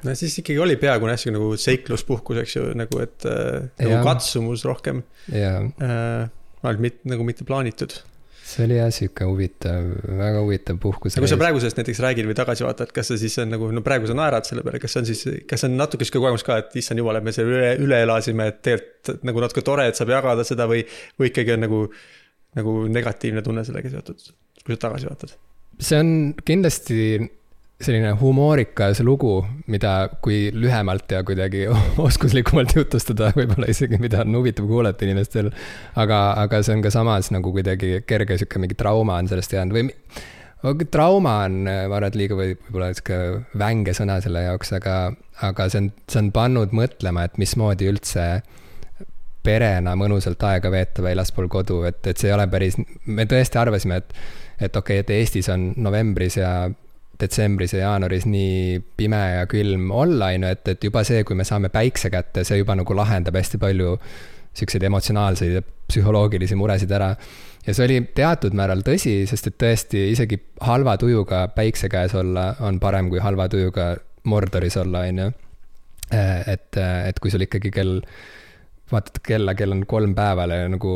No siis ikkagi oli peaaegu näsku nagu seikluspuhkus, eks ju, nagu et nagu katsumus rohkem. Nagu mitte plaanitud. See oli jah siuke huvitav, väga huvitav puhkus. Kui sa praegu sellest näiteks räägid või tagasi vaatad, kas see siis on nagu, praegu sa naerad selle peale, kas on natuke siuke kogemus ka, et issand jumal, et me selle üle elasime, et tegelikult nagu natuke tore, et saab jagada seda või ikkagi on nagu negatiivne tunne sellega seotud, kui sa tagasi vaatad? See on kindlasti selline humoorikas lugu, mida kui lühemalt ja kuidagi oskuslikumalt jutustada, võib-olla isegi mida on huvitav kuulata inimestel, aga see on ka samas nagu kuidagi kerge siuke mingi trauma on sellest jäänud või trauma on, ma arvan, et liiga võib-olla siuke vänge sõna selle jaoks, aga see on pannud mõtlema, et mismoodi üldse perena mõnusalt aega veeta väljaspool kodu, et see ei ole päris, me tõesti arvasime, et okei, et Eestis on novembris ja detsembris ja jaanuaris nii pime ja külm olla, et juba see, kui me saame päikse kätte, see juba nagu lahendab hästi palju siukseid emotsionaalseid ja psühholoogilisi muresid ära. ja see oli teatud määral tõsi, sest et tõesti isegi halva tujuga päikse käes olla on parem kui halva tujuga Mordoris olla, on ju. Et kui sul ikkagi vaatad kella, kell on 3 päeval ja nagu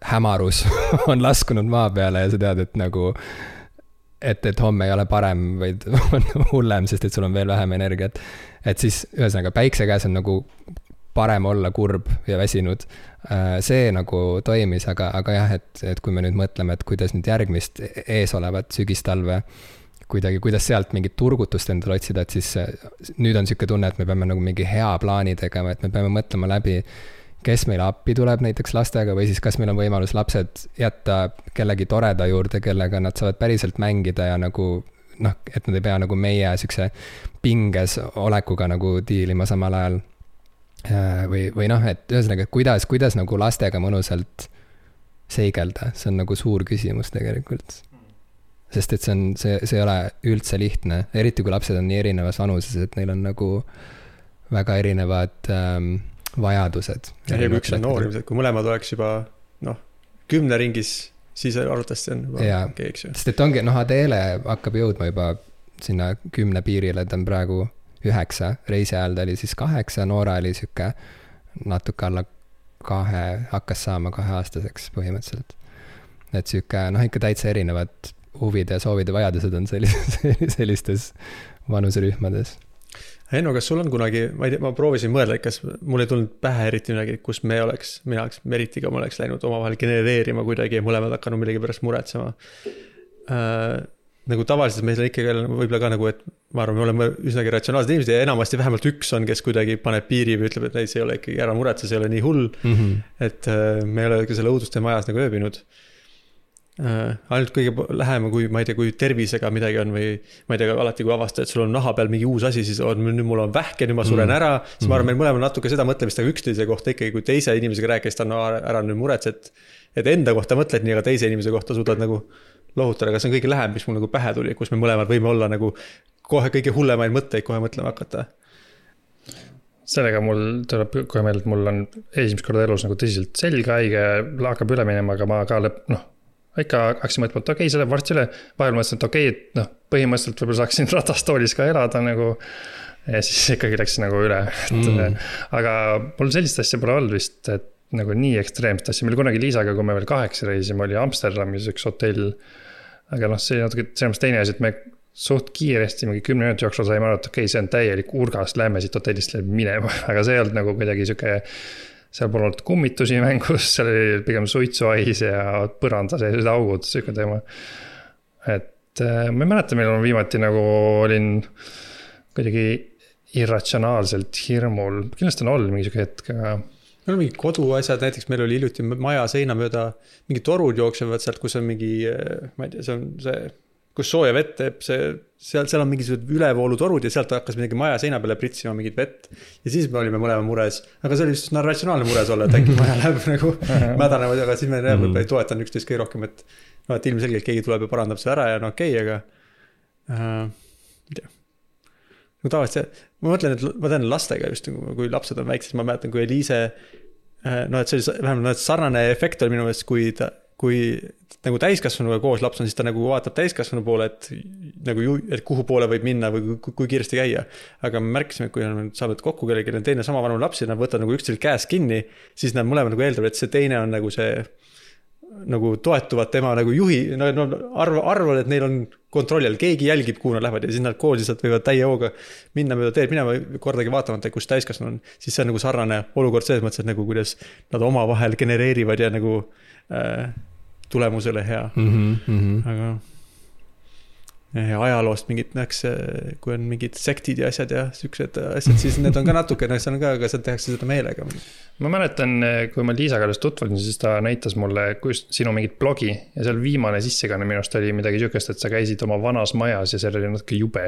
hämarus on laskunud maa peale ja sa tead, et nagu et homme ei ole parem, vaid on hullem, sest et sul on veel vähem energiat. Et siis ühesõnaga päikse käes on nagu parem olla kurb ja väsinud. See nagu toimis, aga jah, et kui me nüüd mõtleme, et kuidas nüüd järgmist ees olevat sügistalve kuidagi, kuidas sealt mingit turgutust endale otsida, et siis nüüd on siuke tunne, et me peame nagu mingi hea plaani tegema, et me peame mõtlema läbi, kes meile appi tuleb näiteks lastega või siis kas meil on võimalus lapsed jätta kellegi toreda juurde, kellega nad saavad päriselt mängida ja nagu et nad ei pea nagu meie siukse pinges olekuga nagu diilima samal ajal. Või et ühesõnaga, kuidas nagu lastega mõnusalt seigelda, see on nagu suur küsimus tegelikult. Sest et see ei ole üldse lihtne, eriti kui lapsed on nii erinevas vanuses, et neil on nagu väga erinevad vajadused. Ja kui üks on noor, kui mõlemad oleks juba 10 ringis, siis arvatavasti on juba okei, eks ju. Sest et ongi, Adele hakkab jõudma juba sinna 10 piirile, ta on praegu 9, reisi ajal ta oli siis 8, Noora oli siuke natuke alla 2, hakkas saama 2-aastaseks põhimõtteliselt. Et siuke, ikka täitsa erinevad huvid ja soovid ja vajadused on sellistes vanuserühmades. Henno, kas sul on kunagi, ma proovisin mõelda, kas mul ei tulnud pähe eriti midagi, kus mina oleks Meritiga, ma oleks läinud omavahel genereerima kuidagi ja mõlemad hakanud millegi pärast muretsema. Nagu tavaliselt meil on ikkagi võib-olla ka nagu, et ma arvan, me oleme üsnagi ratsionaalsed inimesed ja enamasti vähemalt üks on, kes kuidagi paneb piiri või ütleb, et ei, see ei ole ikkagi ära muretse, see ei ole nii hull, et me ei ole ka selle õuduste majas nagu ööbinud. Ainult kõige lähema, kui ma ei tea, kui tervisega midagi on või ma ei tea, alati kui avastad, et sul on naha peal mingi uus asi, siis nüüd mul on vähke, nüüd ma suren ära, siis ma arvan, meil mõlemal natuke seda mõtlemist, aga üksteise kohta ikkagi, kui teise inimesega rääkis, ta on ära nüüd muretset, et enda kohta mõtled nii, aga teise inimese kohta suudad nagu lohutada, aga see on kõige lähem, mis mul nagu pähe tuli, kus me mõlemad võime olla nagu kohe kõige hullemaid mõtteid kohe mõtlema hakata. Sellega mul tuleb kohe meelde, et mul on esimest korda elus nagu tõsiselt selgahaige, hakkab üle minema, aga ma ka ikka hakkasin mõtlema, et okei, see läheb varsti üle. Vahel mõtlesin, et okei, et põhimõtteliselt võib-olla saaksin ratastoolis ka elada nagu ja siis ikkagi läks nagu üle. Aga mul sellist asja pole olnud vist, et nagu nii ekstreemset asja. Meil kunagi Liisaga, kui me veel 8 reisime, oli Amsterdamis üks hotell. Aga see natuke selles teine asi, et me suht kiiresti mingi 10 minuti jooksul saime aru, et okei, see on täielik urgas, lähme siit hotellist minema. Aga see ei olnud nagu kuidagi siuke, seal pole olnud kummitusi mängus, seal oli pigem suitsuais ja põranda sellised augud, siuke teema. Et ma ei mäleta, millal ma viimati nagu olin kuidagi irratsionaalselt hirmul. Kindlasti on olnud mingi siuke hetk, aga meil on mingi koduasjad, näiteks meil oli hiljuti maja seina mööda mingi torud jooksevad sealt, kus on mingi, ma ei tea, see on see, kus sooja vett teeb, seal on mingisugused ülevoolutorud ja sealt hakkas midagi maja seina peale pritsima mingit vett. Ja siis me olime mõlema mures, aga see oli just ratsionaalne mures olla, et äkki maja läheb nagu mädanevad, aga siis me võib-olla ei toetan üksteist kõige rohkem, et ilmselgelt keegi tuleb ja parandab see ära ja okei, aga ei tea. No tavaliselt ma mõtlen, et ma tean lastega just, kui lapsed on väiksed, ma mäletan, kui Eliise, et see oli vähemalt sarnane efekt oli minu meelest, kui nagu täiskasvanuga koos laps on, siis ta nagu vaatab täiskasvanu poole, et kuhu poole võib minna või kui kiiresti käia. Aga me märkisime, et kui on saanud kokku kellelgi on teine sama vanu lapsi, nad võtavad nagu üksteisel käes kinni, siis nad mõlemad nagu eeldavad, et see teine on nagu see nagu toetuvad tema nagu juhi, arvavad, et neil on kontrolli all, keegi jälgib, kuhu nad lähevad ja siis nad koos lihtsalt võivad täie hooga minna mööda teed minema kordagi vaatamata, kus täiskasvanu on, siis see on nagu sarnane olukord selles mõttes, et nagu kuidas nad oma vahel genereerivad ja nagu tulemusele hea. Aga ajaloost mingid näeks, kui on mingid sektid ja asjad ja siuksed asjad, siis need on ka natuke, see on ka, aga seal tehakse seda meelega. Ma mäletan, kui ma Liisaga alles tutvusin, siis ta näitas mulle sinu mingit blogi ja seal viimane sissekanne minust oli midagi siukest, et sa käisid oma vanas majas ja seal oli natuke jube.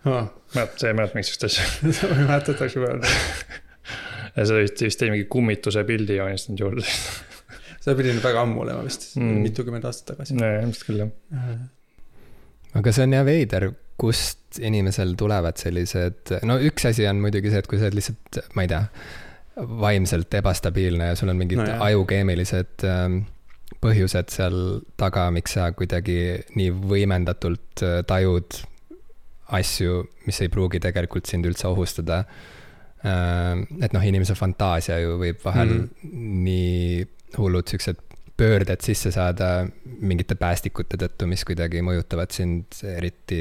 See ei mäleta miksust asja. See ei mäletata juba. Ja see vist ei mingi kummituse pildi joonistanud juurde. See pidi väga ammu olema vist, mitukümmend aastat tagasi. Ilmselt küll, jah. Aga see on jah veider, kust inimesel tulevad sellised, no üks asi on muidugi see, et kui sa oled lihtsalt, ma ei tea, vaimselt ebastabiilne ja sul on mingid ajukeemilised põhjused seal taga, miks sa kuidagi nii võimendatult tajud asju, mis ei pruugi tegelikult sind üldse ohustada. Et noh, inimese fantaasia ju võib vahel nii hullud siuksed pöörded sisse saada mingite päästikute tõttu, mis kuidagi mõjutavad sind eriti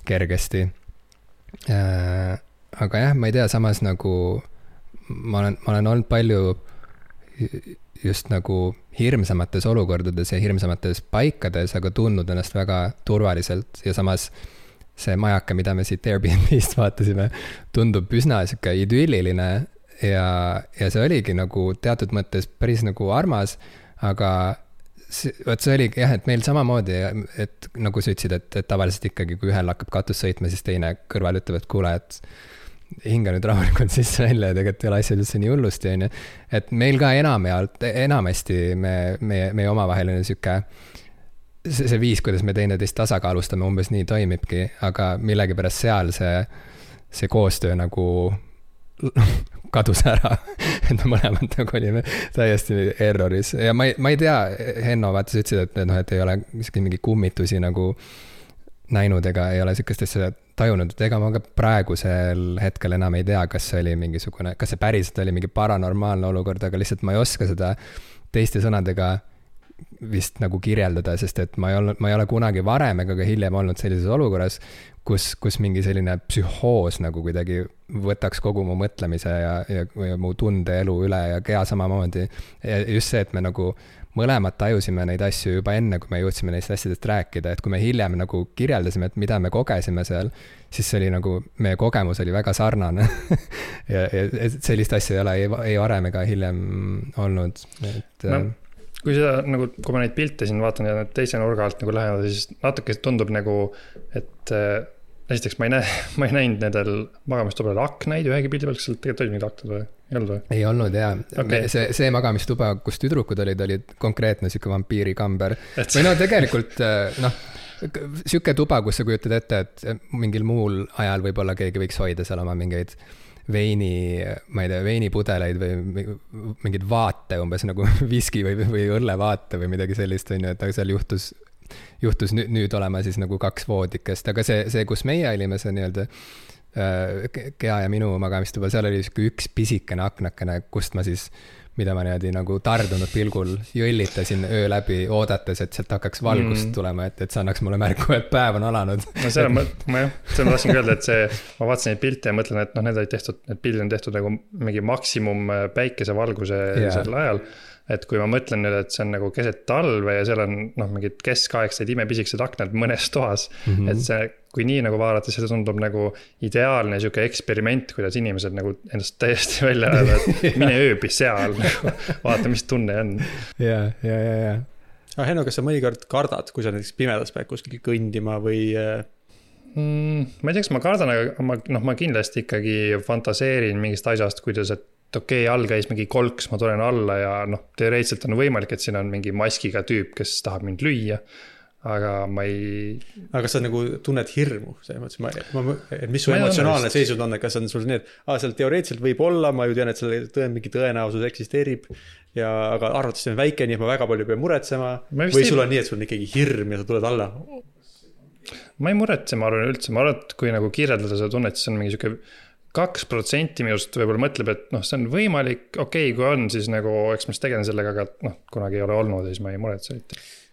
kergesti. Aga jah, ma ei tea, samas nagu ma olen olnud palju just nagu hirmsamates olukordades ja hirmsamates paikades, aga tundnud ennast väga turvaliselt ja samas see majaka, mida me siit Airbnb-st vaatasime, tundub üsna siuke idülliline ja see oligi nagu teatud mõttes päris nagu armas, aga vot see oligi jah, et meil samamoodi, et nagu sa ütlesid, et tavaliselt ikkagi, kui ühel hakkab katus sõitma, siis teine kõrval ütleb, et kuule, et hinga nüüd rahulikult sisse välja ja tegelikult ei ole asjad üldse nii hullusti, on ju. Et meil ka enamasti meie omavaheline siuke see viis, kuidas me teineteist tasakaalustame, umbes nii toimibki, aga millegipärast seal see koostöö nagu kadus ära, et me mõlemad nagu olime täiesti erroris ja ma ei tea, Henno vaata sa ütlesid, et ei ole mingi kummitusi nagu näinud ega ei ole sükest asja tajunud, et ega ma ka praegusel hetkel enam ei tea, kas see oli mingisugune, kas see päriselt oli mingi paranormaalne olukord, aga lihtsalt ma ei oska seda teiste sõnadega vist nagu kirjeldada, sest et ma ei ole kunagi varem ega ka hiljem olnud sellises olukorras, kus mingi selline psühhoos nagu kuidagi võtaks kogu mu mõtlemise ja mu tundeelu üle ja kea samamoodi. Ja just see, et me nagu mõlemad tajusime neid asju juba enne, kui me jõudsime neist asjadest rääkida, et kui me hiljem nagu kirjeldasime, et mida me kogesime seal, siis see oli nagu, meie kogemus oli väga sarnane ja sellist asja ei varem ega hiljem olnud. Kui seda nagu, kui ma neid pilte siin vaatan ja teise nurga alt nagu lähevad, siis natuke tundub nagu, et esiteks ma ei näinud nendel magamistubadel aknaid ühegi pildi peal, kas seal tegelikult oli mingid aknad või? Ei olnud või? Ei olnud, jaa. Okay. See magamistuba, kus tüdrukud olid konkreetne siuke vampiirikamber. Või no tegelikult, siuke tuba, kus sa kujutad ette, et mingil muul ajal võib-olla keegi võiks hoida seal oma mingeid veinipudeleid või mingid vaate, umbes nagu viski või õllevaate või midagi sellist, on ju, et seal juhtus nüüd olema siis nagu 2 voodikest, aga see, kus meie olime, see nii-öelda Kea ja minu magamistuba, seal oli üks pisikene aknakene, kust ma siis, mida ma niimoodi nagu tardunud pilgul jõllitasin öö läbi, oodates, et sealt hakkaks valgust tulema, et see annaks mulle märku, et päev on alanud. No see ma tahtsin öelda, et ma vaatasin neid pilte ja mõtlen, et need pildid on tehtud nagu mingi maksimum päikesevalguse sel ajal. Et kui ma mõtlen nüüd, et see on nagu keset talve ja seal on mingid keskaegsed imepisikesed aknad mõnes toas, et see, kui nii nagu vaadata, see tundub nagu ideaalne siuke eksperiment, kuidas inimesed nagu ennast täiesti välja ajada, et mine ööbi seal, vaata, mis tunne on. Ja. Aga Henno, kas sa mõnikord kardad, kui sa näiteks pimedas pead kuskil kõndima või? Ma ei tea, kas ma kardan, aga ma kindlasti ikkagi fantaseerin mingist asjast, kuidas, et okei, all käis mingi kolks, ma tulen alla ja teoreetselt on võimalik, et siin on mingi maskiga tüüp, kes tahab mind lüüa, aga ma ei... Aga sa nagu tunned hirmu, mis su emotsionaalne seisund on, kas on sul nii, et seal teoreetselt võib olla, ma ju tean, et seal mingi tõenäosus eksisteerib, aga arvates on väike, nii et ma väga palju pean muretsema, või sul on nii, et sul on ikkagi hirm ja sa tuled alla? Ma ei muretse, ma arvan üldse, et kui nagu kirjeldada seda tunnet, siis on mingi siuke 2% minust võib-olla mõtleb, et see on võimalik, okei, kui on, siis nagu, eks ma tegelen sellega, aga kunagi ei ole olnud, siis ma ei muretse.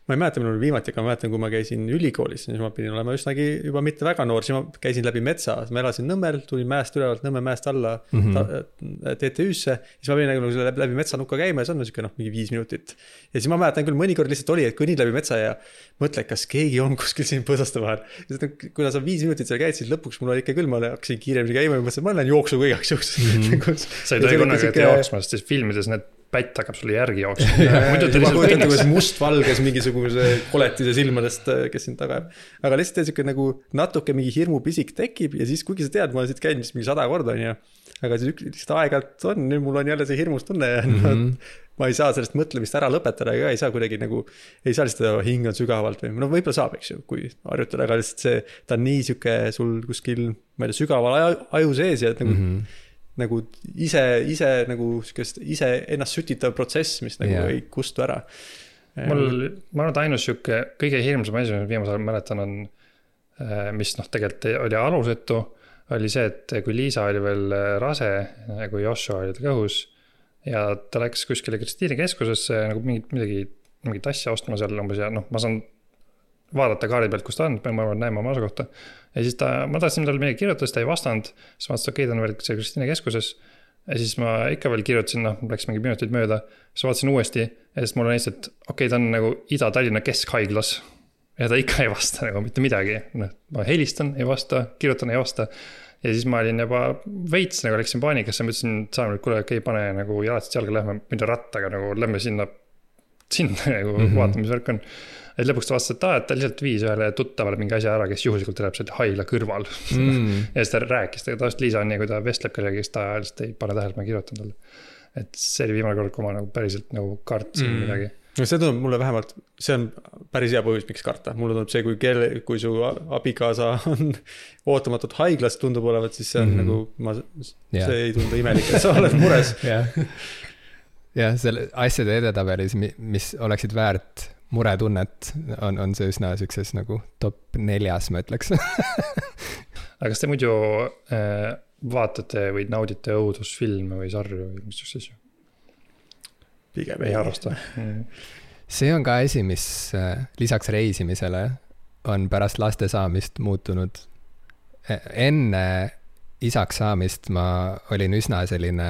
Ma ei mäleta, minul viimati, aga ma mäletan, kui ma käisin ülikoolis, siis ma pidin olema üsnagi juba mitte väga noor, siis ma käisin läbi metsa, ma elasin Nõmmel, tulin mäest ülevalt Nõmme mäest alla TTÜ-sse, siis ma pidin nagu läbi metsanukka käima ja see on niisugune mingi 5 minutit. Ja siis ma mäletan küll mõnikord lihtsalt oli, et kõnnid läbi metsa ja mõtle, kas keegi on kuskil siin põõsaste vahel. Kuna sa 5 minutit seal käid, siis lõpuks mul oli ikka küll, ma hakkasin kiiremini käima ja mõtlesin, ma lähen jooksu kõigaks jooks. Sa ei tohi kunagi jooksma, sest filmides need pätt hakkab sulle järgi jooksma. Ma kujutan, kuidas mustvalges mingisuguse koletise silmadest, kes sind taga jääb. Aga lihtsalt siuke nagu natuke mingi hirmu pisik tekib ja siis kuigi sa tead, ma olen siit käinud mingi 100 korda, on ju. Aga siis üks aegalt on, nüüd mul on jälle see hirmus tunne ja ma ei saa sellest mõtlemist ära lõpetada ja ei saa kuidagi nagu, ei saa lihtsalt hingan sügavalt või võib-olla saab, eks ju, kui harjutada, aga lihtsalt see, ta on nii siuke sul kuskil, ma ei tea, sügaval aju sees ja nagu ise nagu ise ennast sütitav protsess, mis nagu ei kustu ära. ma arvan, et ainus siuke kõige hirmsam asi, mis viimasel ajal mäletan on, mis tegelikult oli alusetu, oli see, et kui Liisa oli veel rase, kui Joshua oli kõhus ja ta läks kuskile Kristiini keskusesse nagu mingit asja ostma seal umbes ja ma saan vaadata kaari pealt, kus ta on, ma arvan, näeme oma asukohta. Ja siis ma tahtsin talle midagi kirjutada, ta ei vastanud, siis ma okei, ta on veel see Kristiine keskuses. Ja siis ma ikka veel kirjutasin, läks mingi minutid mööda, siis vaatasin uuesti ja siis mul on lihtsalt, okei, ta on nagu Ida-Tallinna keskhaiglas ja ta ikka ei vasta nagu mitte midagi. Ma helistan, ei vasta, kirjutan, ei vasta. Ja siis ma olin juba veits, nagu läksin paanikasse, ma ütlesin, et saame, kuule, okei, pane nagu jalatist jalga, lähme mida rattaga, nagu lähme sinna nagu vaatame, mis värk on. Et lõpuks ta vastas, et ta lihtsalt viis ühele tuttavale mingi asja ära, kes juhuslikult elab seal haigla kõrval. Ja siis ta rääkis, tavaliselt Liisa on nii, kui ta vestleb kellega, kes ta lihtsalt ei pane tähele, ma kirjutan talle. Et see oli viimane kord, kui ma nagu päriselt nagu kartsin midagi. No see tundub mulle vähemalt, see on päris hea põhjus, miks karta. Mulle tundub see, kui su abikaasa on ootamatult haiglas tundub olevat, siis see on nagu, see ei tundu imelik, et sa oled mures. Jah, selle asjade edetabelis, mis oleksid väärt muretunnet, on see üsna sükses nagu top 4, ma ütleks. Aga kas te muidu vaatate või naudite õudusfilme või sarju või mis asju? Pigem ei harrasta. See on ka asi, mis lisaks reisimisele on pärast laste saamist muutunud. Enne isaks saamist ma olin üsna selline,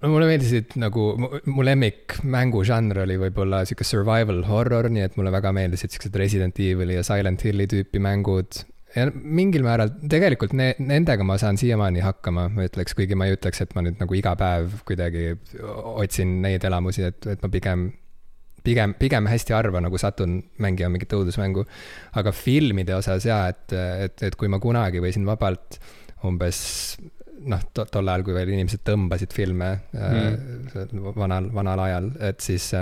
mulle meeldisid nagu, mu lemmik mängužanr oli võib-olla siuke survival horror, nii et mulle väga meeldisid siuksed Resident Evil ja Silent Hilli tüüpi mängud. Ja mingil määral, tegelikult nendega ma saan siiamaani hakkama, ma ütleks, kuigi ma ei ütleks, et ma nüüd nagu iga päev kuidagi otsin neid elamusi, et ma pigem hästi harva nagu satun mängima mingit õudusmängu. Aga filmide osas et kui ma kunagi võisin vabalt umbes tol ajal, kui veel inimesed tõmbasid filme vanal ajal, et siis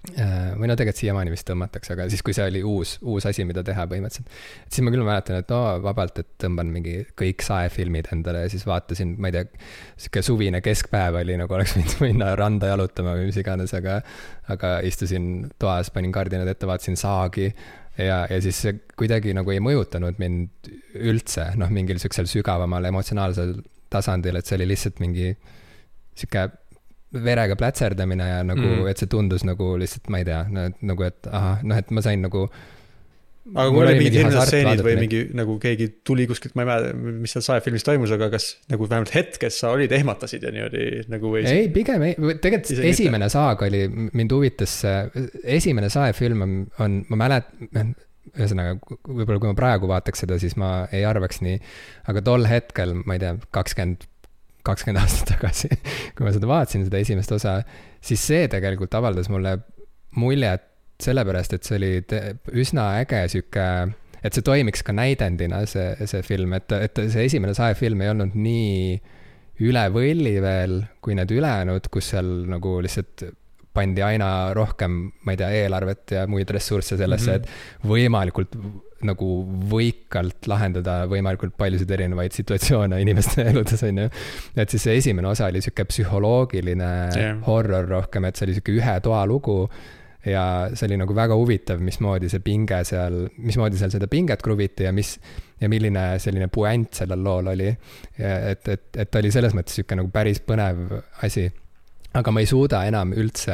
või tegelikult siiamaani vist tõmmatakse, aga siis kui see oli uus asi, mida teha põhimõtteliselt, et siis ma küll mäletan, et vabalt, et tõmban mingi kõik saefilmid endale ja siis vaatasin, ma ei tea, siuke suvine keskpäev oli, nagu oleks võinud minna randa jalutama või mis iganes, aga istusin toas, panin kardinad ette, vaatasin Saagi ja siis see kuidagi nagu ei mõjutanud mind üldse, mingil siuksel sügavamal emotsionaalsel tasandil, et see oli lihtsalt mingi siuke verega plätserdamine ja nagu, et see tundus nagu lihtsalt, ma ei tea, nagu, et et ma sain nagu. Aga kui oli mingi stseenid või mingi nagu keegi tuli kuskilt, ma ei mäleta, mis seal saefilmis toimus, aga kas nagu vähemalt hetkes sa olid, ehmatasid ja niimoodi nagu või? Ei, pigem ei, tegelikult esimene saag oli, mind huvitas, esimene saefilm on ma mäletan, ühesõnaga, võib-olla kui ma praegu vaataks seda, siis ma ei arvaks nii, aga tol hetkel, ma ei tea, 20 aastat tagasi, kui ma seda vaatasin, seda esimest osa, siis see tegelikult avaldas mulle muljet sellepärast, et see oli üsna äge süke, et see toimiks ka näidendina, see film, et see esimene saefilm ei olnud nii üle võlli veel, kui need ülejäänud, kus seal nagu lihtsalt pandi aina rohkem, ma ei tea, eelarvet ja muid ressursse sellesse, et võimalikult nagu võikalt lahendada võimalikult paljusid erinevaid situatsioone inimeste eludes, on ju. Et siis see esimene osa oli siuke psühholoogiline horror rohkem, et see oli siuke ühe toa lugu ja see oli nagu väga huvitav, mismoodi seal seda pinget kruviti ja milline selline puänt sellel lool oli. Et oli selles mõttes siuke nagu päris põnev asi. Aga ma ei suuda enam üldse,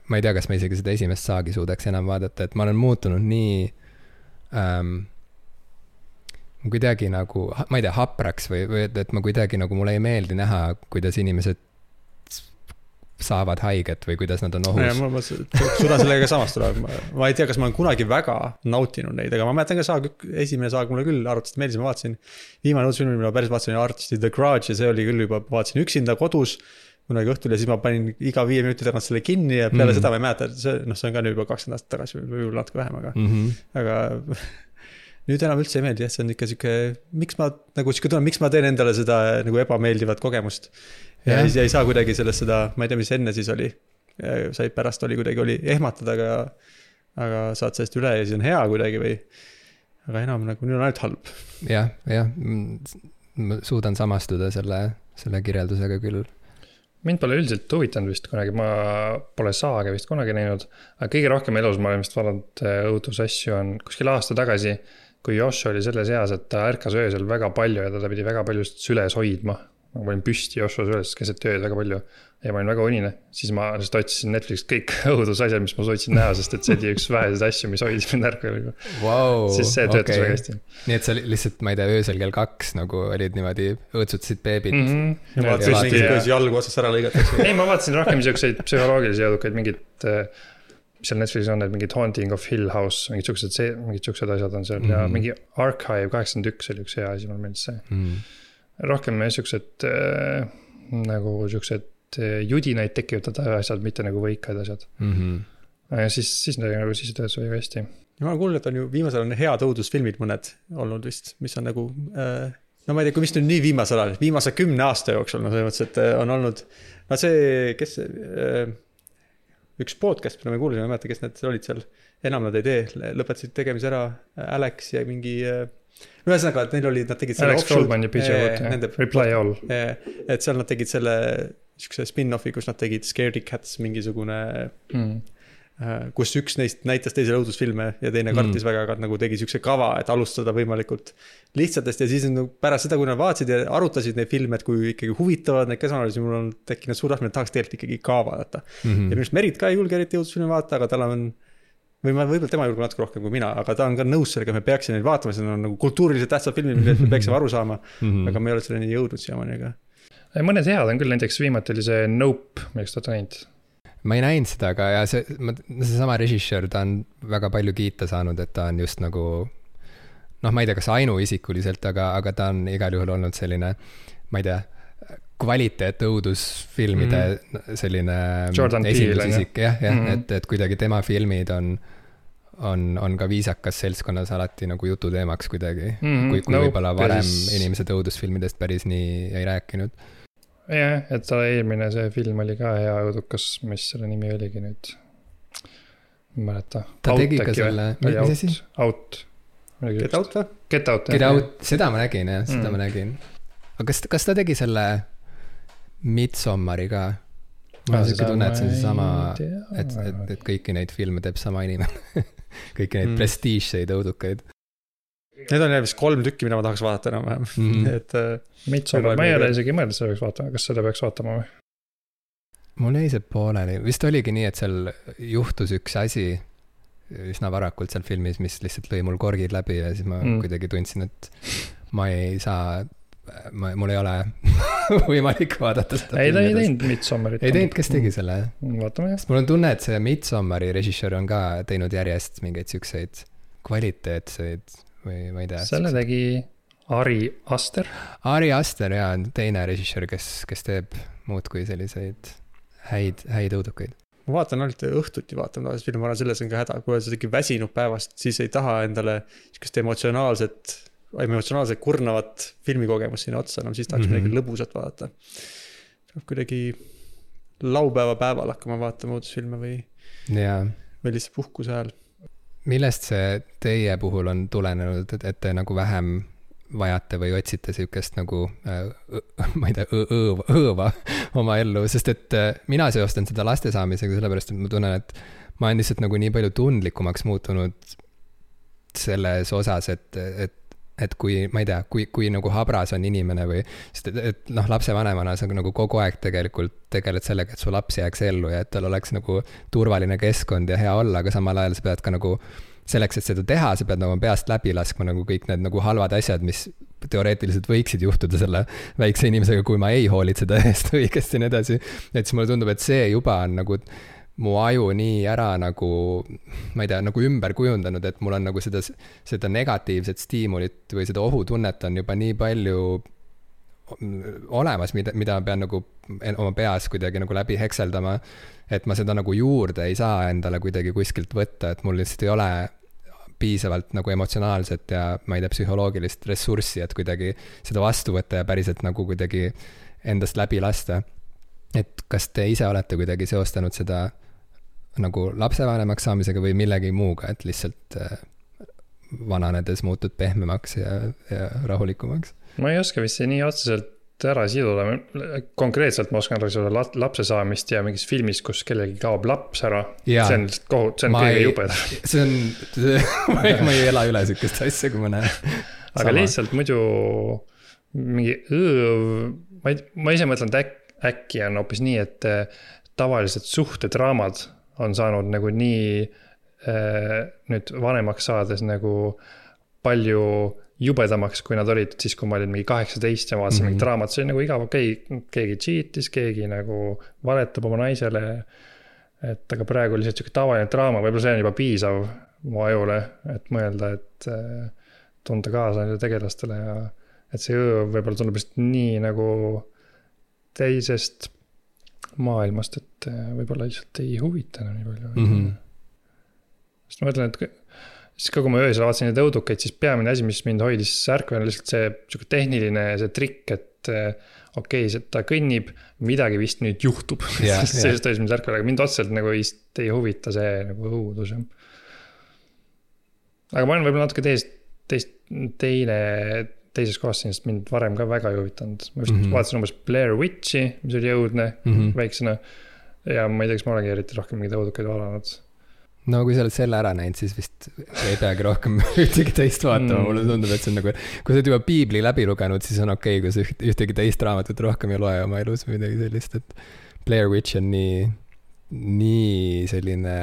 ma ei tea, kas ma isegi seda esimest saagi suudaks enam vaadata, et ma olen muutunud nii kuidagi nagu, ma ei tea, hapraks või et ma kuidagi nagu mulle ei meeldi näha, kuidas inimesed saavad haiget või kuidas nad on ohus. Ma suudan sellega samast tuleb. Ma ei tea, kas ma olen kunagi väga nautinud neid, aga ma mäletan ka esimene saag mulle küll arvatavasti meeldis, ma vaatasin viimane uudisfilm, mida päris vaatasin Artisti The Grudge ja see oli küll juba, vaatasin üksinda kodus kunagi õhtul ja siis ma panin iga 5 minuti tagant selle kinni ja peale seda ma ei mäleta, see on ka nüüd juba 20 aastat tagasi või natuke vähem, aga nüüd enam üldse ei meeldi, see on ikka siuke, miks ma teen endale seda nagu ebameeldivat kogemust ja ei saa kuidagi sellest seda, ma ei tea, mis enne siis oli, sai pärast oli ehmatada, aga saad sellest üle ja siis on hea kuidagi või, aga enam nagu nüüd on ainult halb. Jah, ma suudan samastuda selle kirjeldusega küll. mind pole üldiselt huvitanud vist kunagi, ma pole saage vist kunagi näinud, aga kõige rohkem elus ma olen vist vaadanud õudusasju on kuskil aasta tagasi, kui Josh oli selles eas, et ta ärkas öösel väga palju ja ta pidi väga palju süles hoidma. Ma olin püsti Joshua süles keset ööd väga palju ja ma olin väga unine. Siis ma lihtsalt otsisin Netflixist kõik õudusasjad, mis ma sootsin näha, sest et see oli üks väheseid asju, mis hoidis mind ärkvel. Wow, siis see töötas väga hästi. Nii et sa lihtsalt, ma ei tea, öösel kell 2 nagu olid niimoodi õõtsutasid beebit. Ja vaatasid mingid, kuidas jalgu otsast ära lõigatakse. Ei, ma vaatasin rohkem siukseid psühholoogilisi jõudukaid, mingid, seal Netflixis on need mingid Haunting of Hill House, mingid siuksed asjad on seal ja mingi Archive 81 oli üks hea asi, mul meeldis see. Rohkem siuksed nagu siuksed judinaid tekitada asjad, mitte nagu võikaid asjad. Ja siis töötas väga hästi. Ja ma olen kuulnud, et on ju viimasel on head õudusfilmid mõned olnud vist, mis on nagu, no ma ei tea, kui mis nüüd nii viimasel ajal, viimase 10 aasta jooksul, no selles mõttes, et on olnud, no see, kes üks podcast, mida me kuulisime, ma ei mäleta, kes need olid seal, enam nad ei tee, lõpetasid tegemise ära, Alex ja mingi, no ühesõnaga, et neil oli, nad tegid selle Alex Goldman ja PJ Watt, Reply All. Et seal nad tegid selle spin-offi, kus nad tegid Scaredy Cats mingisugune, kus üks neist näitas teisele õudusfilme ja teine kartis väga, aga nagu tegi siukse kava, et alustada võimalikult lihtsatest ja siis pärast seda, kui nad vaatasid ja arutasid neid filme, et kui ikkagi huvitavad neid käsanalisi, mul on tekkinud suur tahtmine, et tahaks tegelikult ikkagi ka vaadata. Ja minust Merit ka ei julge eriti õudusfilme vaadata, aga tal on, võib-olla tema julge natuke rohkem kui mina, aga ta on ka nõus sellega, me peaksime neid vaatama, see on nagu kultuuriliselt tähtsad filmid, millest me peaksime aru saama, aga me ei ole selleni jõudnud siiamaani, aga mõned head on küll, näiteks viimati oli see Nope, millest olete näinud? Ma ei näinud seda, aga ja see sama režissöör, ta on väga palju kiita saanud, et ta on just nagu, noh, ma ei tea, kas ainuisikuliselt, aga ta on igal juhul olnud selline, ma ei tea, kvaliteet õudusfilmide selline esindusisik, et kuidagi tema filmid on ka viisakas seltskonnas alati nagu jututeemaks kuidagi, kui võib-olla varem inimesed õudusfilmidest päris nii ei rääkinud. Jah, et ta eelmine see film oli ka hea õudukas, mis selle nimi oligi nüüd, ma mäleta. Ta tegi ka selle, mis asi? Out. Get Out või? Get Out, Get Out, seda ma nägin, jah, seda ma nägin. Aga kas ta tegi selle Midsommari ka? Ma olen siuke tunne, et see on sama, et kõiki neid filme teeb sama inimene. Kõiki neid prestiižseid õudukaid. Need on vist 3 tükki, mida ma tahaks vaadata enam. Midsommar, ma ei ole isegi mõelnud, seda peaks vaatama. Kas seda peaks vaatama või? Mul jäi see pooleli. Vist oligi nii, et seal juhtus üks asi üsna varakult seal filmis, mis lihtsalt lõi mul korgid läbi ja siis ma kuidagi tundsin, et ma ei saa, mul ei ole võimalik vaadata seda. Ei, ta ei teinud Midsommarit. Ei teinud, kes tegi selle? Vaatame jah. Mul on tunne, et see Midsommari režissöör on ka teinud järjest mingeid siukseid kvaliteetseid või ma ei tea. Selle tegi Ari Aster. Ari Aster, jaa, teine režissöör, kes teeb muud kui selliseid häid õudukaid. Ma vaatan ainult õhtuti vaatan, film on selles on ka häda, kui oled ikkagi väsinud päevast, siis ei taha endale sellist emotsionaalselt kurnavat filmikogemust sinna otsa, siis tahaks midagi lõbusat vaadata. Kuidagi laupäeva päeval hakkama vaatama õudusfilme või lihtsalt puhkuse ajal. Millest see teie puhul on tulenenud, et te nagu vähem vajate või otsite siukest nagu, ma ei tea, õõva oma ellu, sest et mina seostan seda laste saamisega sellepärast, et ma tunnen, et ma olen lihtsalt nagu nii palju tundlikumaks muutunud selles osas, et kui, ma ei tea, kui nagu habras on inimene või, sest et lapsevanemana sa nagu kogu aeg tegelikult tegeled sellega, et su laps jääks ellu ja et tal oleks nagu turvaline keskkond ja hea olla, aga samal ajal sa pead ka nagu selleks, et seda teha, sa pead nagu peast läbi laskma nagu kõik need nagu halvad asjad, mis teoreetiliselt võiksid juhtuda selle väikse inimesega, kui ma ei hoolitseda eest õigesti ja nii edasi. Et siis mulle tundub, et see juba on nagu mu aju nii ära nagu, ma ei tea, nagu ümber kujundanud, et mul on nagu seda negatiivset stiimulit või seda ohutunnet on juba nii palju olemas, mida ma pean nagu oma peas kuidagi nagu läbi hekseldama, et ma seda nagu juurde ei saa endale kuidagi kuskilt võtta, et mul lihtsalt ei ole piisavalt nagu emotsionaalset ja ma ei tea, psühholoogilist ressurssi, et kuidagi seda vastu võtta ja päriselt nagu kuidagi endast läbi lasta. Et kas te ise olete kuidagi seostanud seda nagu lapsevanemaks saamisega või millegi muuga, et lihtsalt vananedes muutud pehmemaks ja rahulikumaks? Ma ei oska vist nii otseselt ära siduda. Konkreetselt ma oskan rääkida lapse saamist ja mingis filmis, kus kellelgi kaob laps ära. Jaa. See on lihtsalt kohut, see on kõige jubedam. See on, ma ei ela üle sükest asja, kui ma näen. Aga lihtsalt muidu mingi ma ise mõtlen, et äkki on hoopis nii, et tavalised suhtedraamad on saanud nagu nii nüüd vanemaks saades nagu palju jubedamaks, kui nad olid siis, kui ma olin mingi 18 ja vaatasin mingi draamat, see on nagu igav, keegi cheatis, keegi nagu valetab oma naisele, et aga praegu lihtsalt siuke tavaline draama, võib-olla see on juba piisav mu ajule, et mõelda, et tunda kaasa nende tegelastele ja et see võib-olla tundub just nii nagu teisest maailmast, et võib-olla lihtsalt ei huvita nii palju. Sest ma mõtlen, et siis kui ma öösel vaatasin neid õudukeid, siis peamine asi, mis mind hoidis ärkvel, on lihtsalt see tehniline see trikk, et okei, ta kõnnib, midagi vist nüüd juhtub. Sellest hoidis mind ärkvel, aga mind otseselt nagu ei huvita see nagu õudus. Aga ma olen võib-olla natuke teises kohas, sest mind varem ka väga ei huvitanud. Ma vist vaatasin umbes Blair Witchi, mis oli jõudne väiksena. Ja ma ei tea, kas ma olengi eriti rohkem mingid õudukeid valanud. No kui sa oled selle ära näinud, siis vist ei peagi rohkem ühtegi teist vaatama. Mulle tundub, et see on nagu, kui sa oled juba Piibli läbi lugenud, siis on okei, kui sa ühtegi teist raamatut rohkem ei loe oma elus või midagi sellist, et Blair Witch on nii selline,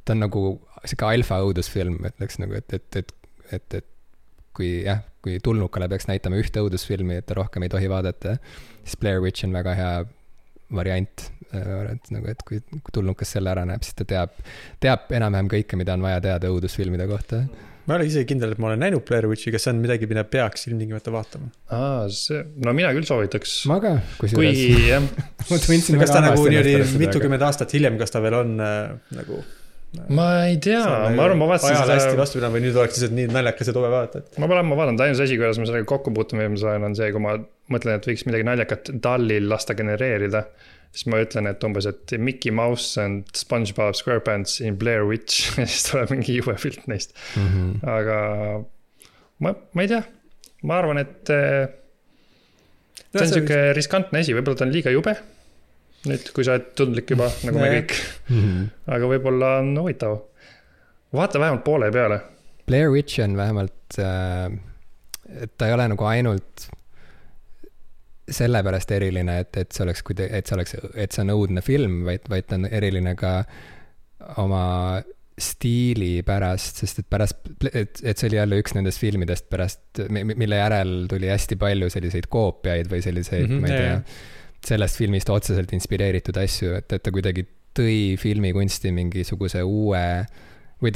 ta on nagu siuke alfa õudusfilm, ütleks nagu, et kui tulnukale peaks näitama ühte õudusfilmi, et ta rohkem ei tohi vaadata, siis Blair Witch on väga hea variant, et kui tulnukas selle ära näeb, siis ta teab enam-vähem kõike, mida on vaja teada õudusfilmide kohta. Ma olen isegi kindel, et ma olen näinud Blair Witchi, kas see on midagi, mida peaks ilmtingimata vaatama? No mina küll soovitaks. Ma ka, kas ta nagu mitukümmend aastat hiljem, kas ta veel on nagu... Ma ei tea, ma arvan, ma vaatasin ajal hästi vastupidana või nüüd oleks lihtsalt nii naljakas ja tobe vaadata. Ma vaatan, ainus asi, kuidas ma sellega kokku puutun on see, kui ma mõtlen, et võiks midagi naljakat Dallil lasta genereerida, siis ma ütlen, et umbes, et Mickey Mouse and SpongeBob SquarePants in Blair Witch, ja siis tuleb mingi jube pilt neist. Aga ma ei tea, ma arvan, et see on siuke riskantne asi, võib-olla ta on liiga jube. Nüüd, kui sa oled tundlik juba, nagu me kõik. Aga võib-olla on huvitav. Vaata vähemalt poole peale. Blair Witch on vähemalt, et ta ei ole nagu ainult sellepärast eriline, et see on õudne film, vaid ta on eriline ka oma stiili pärast, sest et see oli jälle üks nendest filmidest pärast, mille järel tuli hästi palju selliseid koopiaid või selliseid, ma ei tea, sellest filmist otseselt inspireeritud asju, et ta kuidagi tõi filmikunsti mingisuguse uue või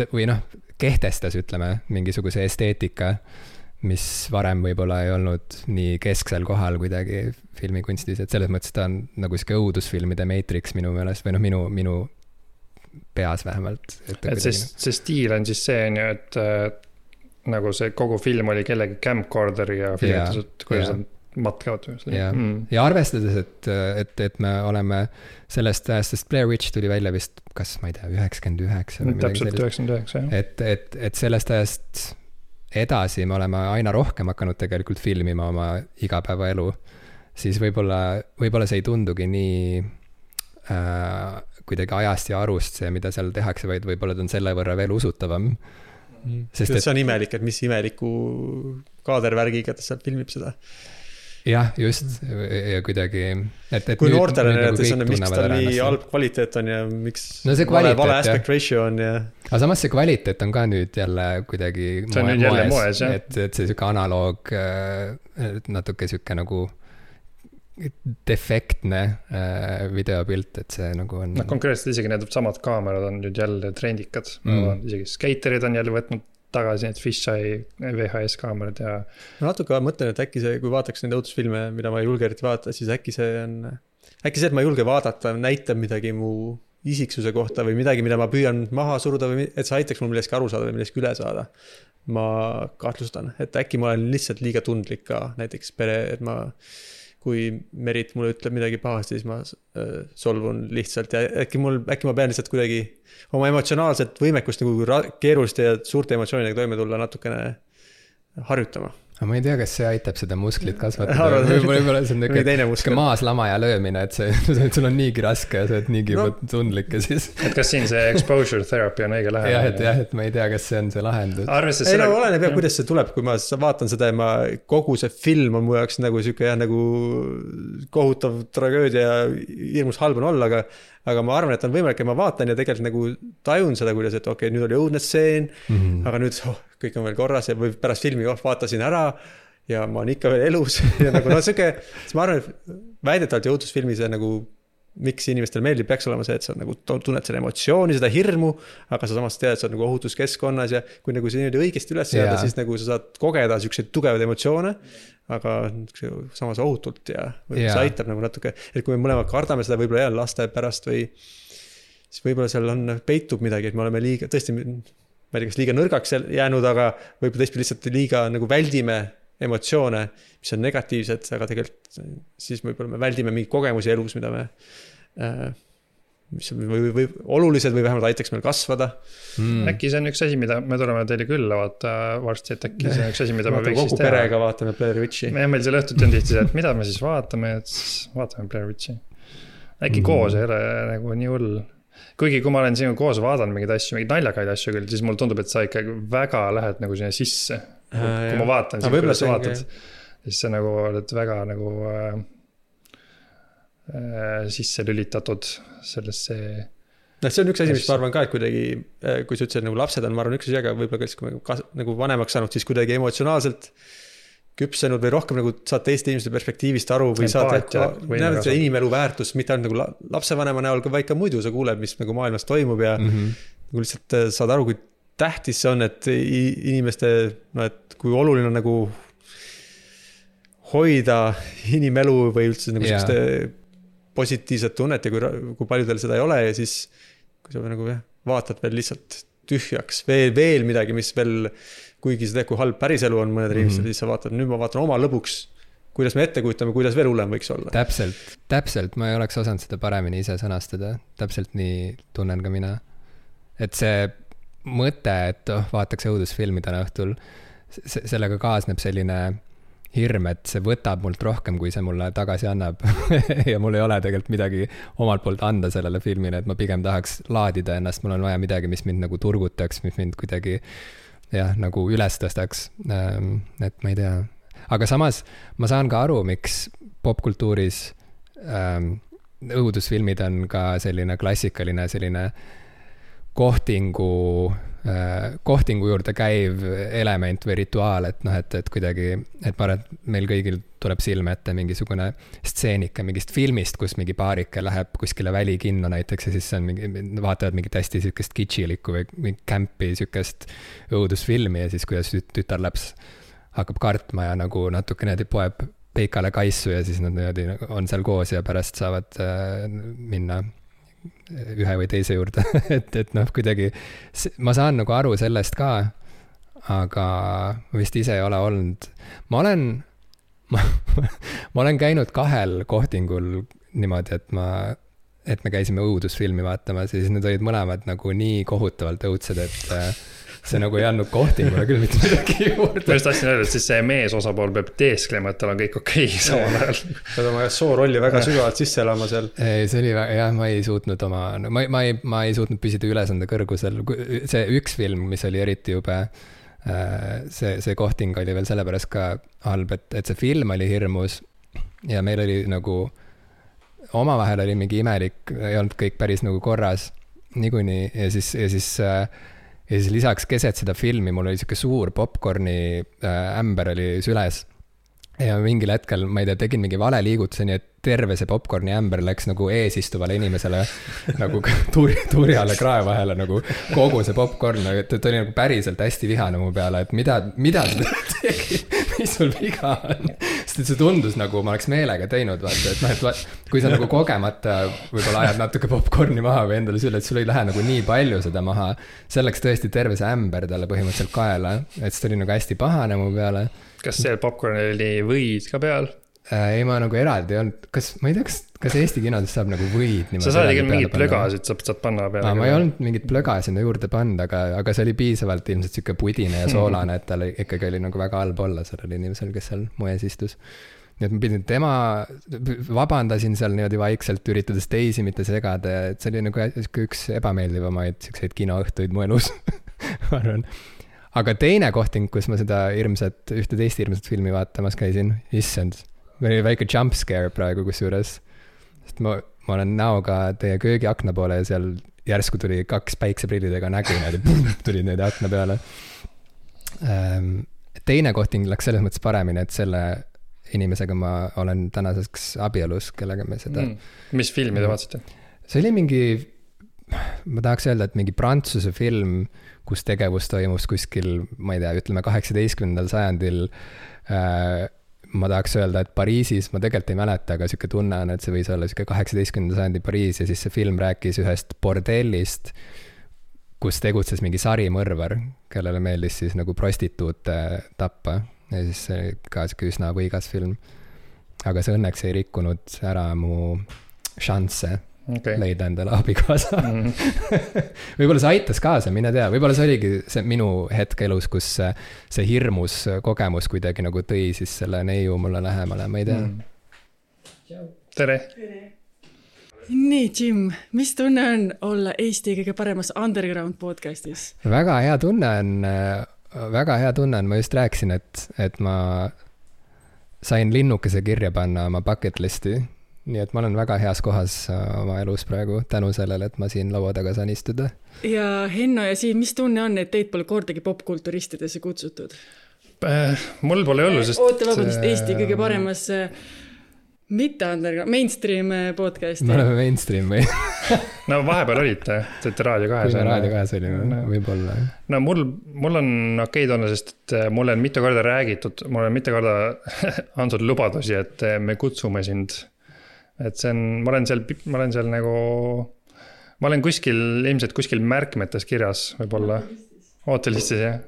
kehtestas, ütleme, mingisuguse esteetika, mis varem võib-olla ei olnud nii kesksel kohal kuidagi filmikunstis, et selles mõttes ta on nagu siuke õudusfilmide Matrix minu meelest, või minu peas vähemalt. Et see stiil on siis see, et nagu see kogu film oli kellegi camcorderi ja filmitused, kuidas on matkavad. Ja arvestades, et me oleme sellest ajast, sest Blair Witch tuli välja vist, kas ma ei tea, 99 või midagi sellist. Täpselt 99, jah. Et sellest ajast edasi me oleme aina rohkem hakanud tegelikult filmima oma igapäevaelu, siis võib-olla see ei tundugi nii kuidagi ajast ja arust see, mida seal tehakse, vaid võib-olla ta on selle võrra veel usutavam. Sest see on imelik, et mis imeliku kaadervärgiga ta seal filmib seda. Jah, just, ja kuidagi kui noortele näidates on, miks ta nii halb kvaliteet on ja miks vale aspect ratio on ja... Aga samas see kvaliteet on ka nüüd jälle kuidagi moes, et see süke analoog natuke süke nagu defektne videopilt, et see nagu on... Konkreetselt isegi need samad kaamerad on nüüd jälle trendikad. Isegi skaterid on jälle võtnud tagasi need fisheye VHS kaamerad ja... Ma natuke mõtlen, et äkki see, kui vaataks neid õudusfilme, mida ma ei julge eriti vaadata, siis äkki see, et ma ei julge vaadata, näitab midagi mu isiksuse kohta või midagi, mida ma püüan maha suruda või et see aitaks mul millestki aru saada või millestki üle saada. Ma kahtlustan, et äkki ma olen lihtsalt liiga tundlik ka näiteks et kui Merit mulle ütleb midagi pahasti, siis ma solvun lihtsalt ja äkki ma pean lihtsalt kuidagi oma emotsionaalset võimekust nagu keeruliste ja suurte emotsioonidega toime tulla natukene harjutama. ma ei tea, kas see aitab seda musklit kasvatada. Võib-olla see on niisugune maaslamaja löömine, et sul on niigi raske ja sa oled niigi tundlik ja siis... Et kas siin see exposure therapy on õige läheb? Et ma ei tea, kas see on see lahendus. Ei no oleneb jah, kuidas see tuleb, kui ma vaatan seda ja kogu see film on mu jaoks nagu siuke nagu kohutav tragöödia ja hirmus halb on olla, aga ma arvan, et on võimalik, et ma vaatan ja tegelikult nagu tajun seda, kuidas, et okei, nüüd oli õudne stseen, aga nüüd kõik on veel korras ja või pärast filmi vaatasin ära ja ma olen ikka veel elus ja nagu siuke, siis ma arvan, et väidetavalt jõudusfilmis nagu miks inimestel meeldib, peaks olema see, et sa nagu tunned selle emotsiooni, seda hirmu, aga sa samas tead, et sa oled nagu ohutuskeskkonnas ja kui nagu see niimoodi õigesti üles seada, siis nagu sa saad kogeda siukseid tugevaid emotsioone, aga samas ohutult ja see aitab nagu natuke, et kui me mõlemad kardame seda võib-olla laste pärast või siis võib-olla seal peitub midagi, et me oleme liiga, tõesti, ma ei tea, kas liiga nõrgaks jäänud, aga võib-olla teistpidi lihtsalt liiga nagu väldime emotsioone, mis on negatiivsed, aga tegelikult siis võib-olla me väldime mingi kogemusi elus, mida me mis või olulised või vähemalt aitaks meil kasvada. Äkki see on üks asi, mida me tuleme teile külla vaata varsti, et äkki see on üks asi, mida me võiks kogu teha. Perega vaatame Blair Witchi. Meil seal õhtuti on tihti see, et mida me siis vaatame, et siis vaatame Blair Witchi. Äkki koos ei ole nagu nii hull. Kuigi kui ma olen siin koos vaadanud mingeid asju, mingeid naljakaid asju küll, siis mulle tundub, et sa ikka väga lähed nagu sinna sisse. Kui ma vaatan, siis sa vaatad, siis sa nagu oled väga nagu sisse lülitatud sellesse. See on üks asi, mis ma arvan ka, et kuidagi, kui sa ütlesid nagu lapsed on, ma arvan üks asi, aga võib-olla kui me nagu vanemaks saanud, siis kuidagi emotsionaalselt küpsenud või rohkem nagu saad teiste inimeste perspektiivist aru või saad, et see inimelu väärtus, mitte ainult nagu lapsevanema näol, vaid ka muidu sa kuuled, mis nagu maailmas toimub ja nagu lihtsalt saad aru, kui tähtis see on, et inimeste, et kui oluline on nagu hoida inimelu või üldse nagu selliste positiivset tunnet ja kui paljudel seda ei ole ja siis kui sa nagu vaatad veel lihtsalt tühjaks, veel midagi, mis veel kuigi see teeb, kui halb päriselu on mõned inimestel, siis sa vaatad, nüüd ma vaatan oma lõbuks, kuidas me ette kujutame, kuidas veel hullem võiks olla. Täpselt, ma ei oleks osanud seda paremini ise sõnastada, täpselt nii tunnen ka mina. Et see mõte, et vaataks õudusfilmi täna õhtul, sellega kaasneb selline hirm, et see võtab mult rohkem, kui see mulle tagasi annab ja mul ei ole tegelikult midagi omalt poolt anda sellele filmile, et ma pigem tahaks laadida ennast, mul on vaja midagi, mis mind nagu turgutaks, mis mind kuidagi nagu üles tõstaks, et ma ei tea. Aga samas ma saan ka aru, miks popkultuuris õudusfilmid on ka selline klassikaline selline kohtingu juurde käiv element või rituaal, et kuidagi, et ma arvan, et meil kõigil tuleb silme ette mingisugune stseenika mingist filmist, kus mingi paarike läheb kuskile välikinno näiteks ja siis on vaatavad mingit hästi sükest kitšilikku või mingi kämpi sükest õudusfilmi ja siis kuidas tütarlaps hakkab kartma ja nagu natuke niimoodi poeb peikale kaisu ja siis nad niimoodi on seal koos ja pärast saavad minna ühe või teise juurde, et kuidagi ma saan nagu aru sellest ka, aga ma vist ise ei ole olnud. Ma olen käinud 2 kohtingul niimoodi, et me käisime õudusfilmi vaatama, siis need olid mõlemad nagu nii kohutavalt õudsed, et see nagu ei andnud kohtingule küll mitte midagi juurde. Ma just tahtsin öelda, et siis see mees osapool peab teesklema, et tal on kõik okei samal ajal. Pead oma soorolli väga sügavalt sisse elama seal. Ei, see oli väga, ma ei suutnud ma ei suutnud püsida ülesande kõrgusel. See üks film, mis oli eriti jube, see kohting oli veel sellepärast ka halb, et see film oli hirmus ja meil oli nagu omavahel oli mingi imelik, ei olnud kõik päris nagu korras niikuinii ja siis lisaks keset seda filmi mul oli siuke suur popcorni ämber oli süles ja mingil hetkel, ma ei tea, tegin mingi vale liigutuse, nii et terve see popcorni ämber läks nagu eesistuvale inimesele nagu turjale krae vahele nagu kogu see popcorn, et oli nagu päriselt hästi vihane mu peale, et mida ta tegi, mis sul viga on. Sest see tundus nagu ma oleks meelega teinud, vaata, et kui sa nagu kogemata võib-olla ajad natuke popcorni maha või endale sülle, et sul ei lähe nagu nii palju seda maha, see läks tõesti terve see ämber talle põhimõtteliselt kaela, et see oli nagu hästi pahane mu peale. Kas see popcorn oli võid ka peal? ei, ma nagu eraldi ei olnud, ma ei tea, kas Eesti kinodes saab nagu võid sa saad ikka mingid plögasid, saad panna peale. Ma ei olnud mingit plöga sinna juurde pannud, aga see oli piisavalt ilmselt siuke pudine ja soolane, et tal ikkagi oli nagu väga halb olla sellel inimesel, kes seal moes istus. Nii et ma pidin vabandasin seal niimoodi vaikselt, üritades teisi mitte segada, et see oli nagu üks ebameeldivamaid siukseid kinoõhtuid mu elus, ma arvan. Aga teine kohting, kus ma seda ühte teist hirmsat filmi vaatamas käisin, issand, oli väike jump scare praegu kusjuures. Sest ma olen näoga teie köögiakna poole ja seal järsku tuli 2 päikseprillidega nägu tulid need akna peale. Teine kohting läks selles mõttes paremini, et selle inimesega ma olen tänaseks abielus, kellega me seda... Mis filmi te vaatasite? See oli mingi, ma tahaks öelda, et mingi Prantsuse film, kus tegevus toimus kuskil, ma ei tea, ütleme 18. sajandil. Ma tahaks öelda, et Pariisis, ma tegelikult ei mäleta, aga siuke tunne on, et see võis olla siuke 18. sajandi Pariis ja siis see film rääkis ühest bordellist, kus tegutses mingi sarimõrvar, kellele meeldis siis nagu prostituute tappa ja siis see oli ka siuke üsna võigas film. Aga see õnneks ei rikkunud ära mu šansse leida endale abikaasa. Võib-olla see aitas kaasa, mine tea. Võib-olla see oligi see minu hetk elus, kus see hirmus kogemus kuidagi nagu tõi siis selle neiu mulle lähemale, ma ei tea. Tere! Nii, Jim, mis tunne on olla Eesti kõige paremas underground podcastis? Väga hea tunne on, ma just rääkisin, et ma sain linnukese kirja panna oma bucket listi. Nii et ma olen väga heas kohas oma elus praegu tänu sellele, et ma siin laua taga saan istuda. Ja Henno ja Siim, mis tunne on, et teid pole kordagi popkulturistidesse kutsutud? Mul pole olnud, sest... Oota, vabandust, Eesti kõige paremas mitte underground, mainstream podcasti. Me oleme mainstream või? No vahepeal olite, teete Raadio 2. Raadio 2 olime, võib-olla. No mul on okei tunne, sest et mulle on mitu korda räägitud, mulle on mitu korda andnud lubadusi, et me kutsume sind. Et see on, ma olen seal nagu, ma olen ilmselt kuskil märkmetes kirjas võib-olla. Ootelistis, jah.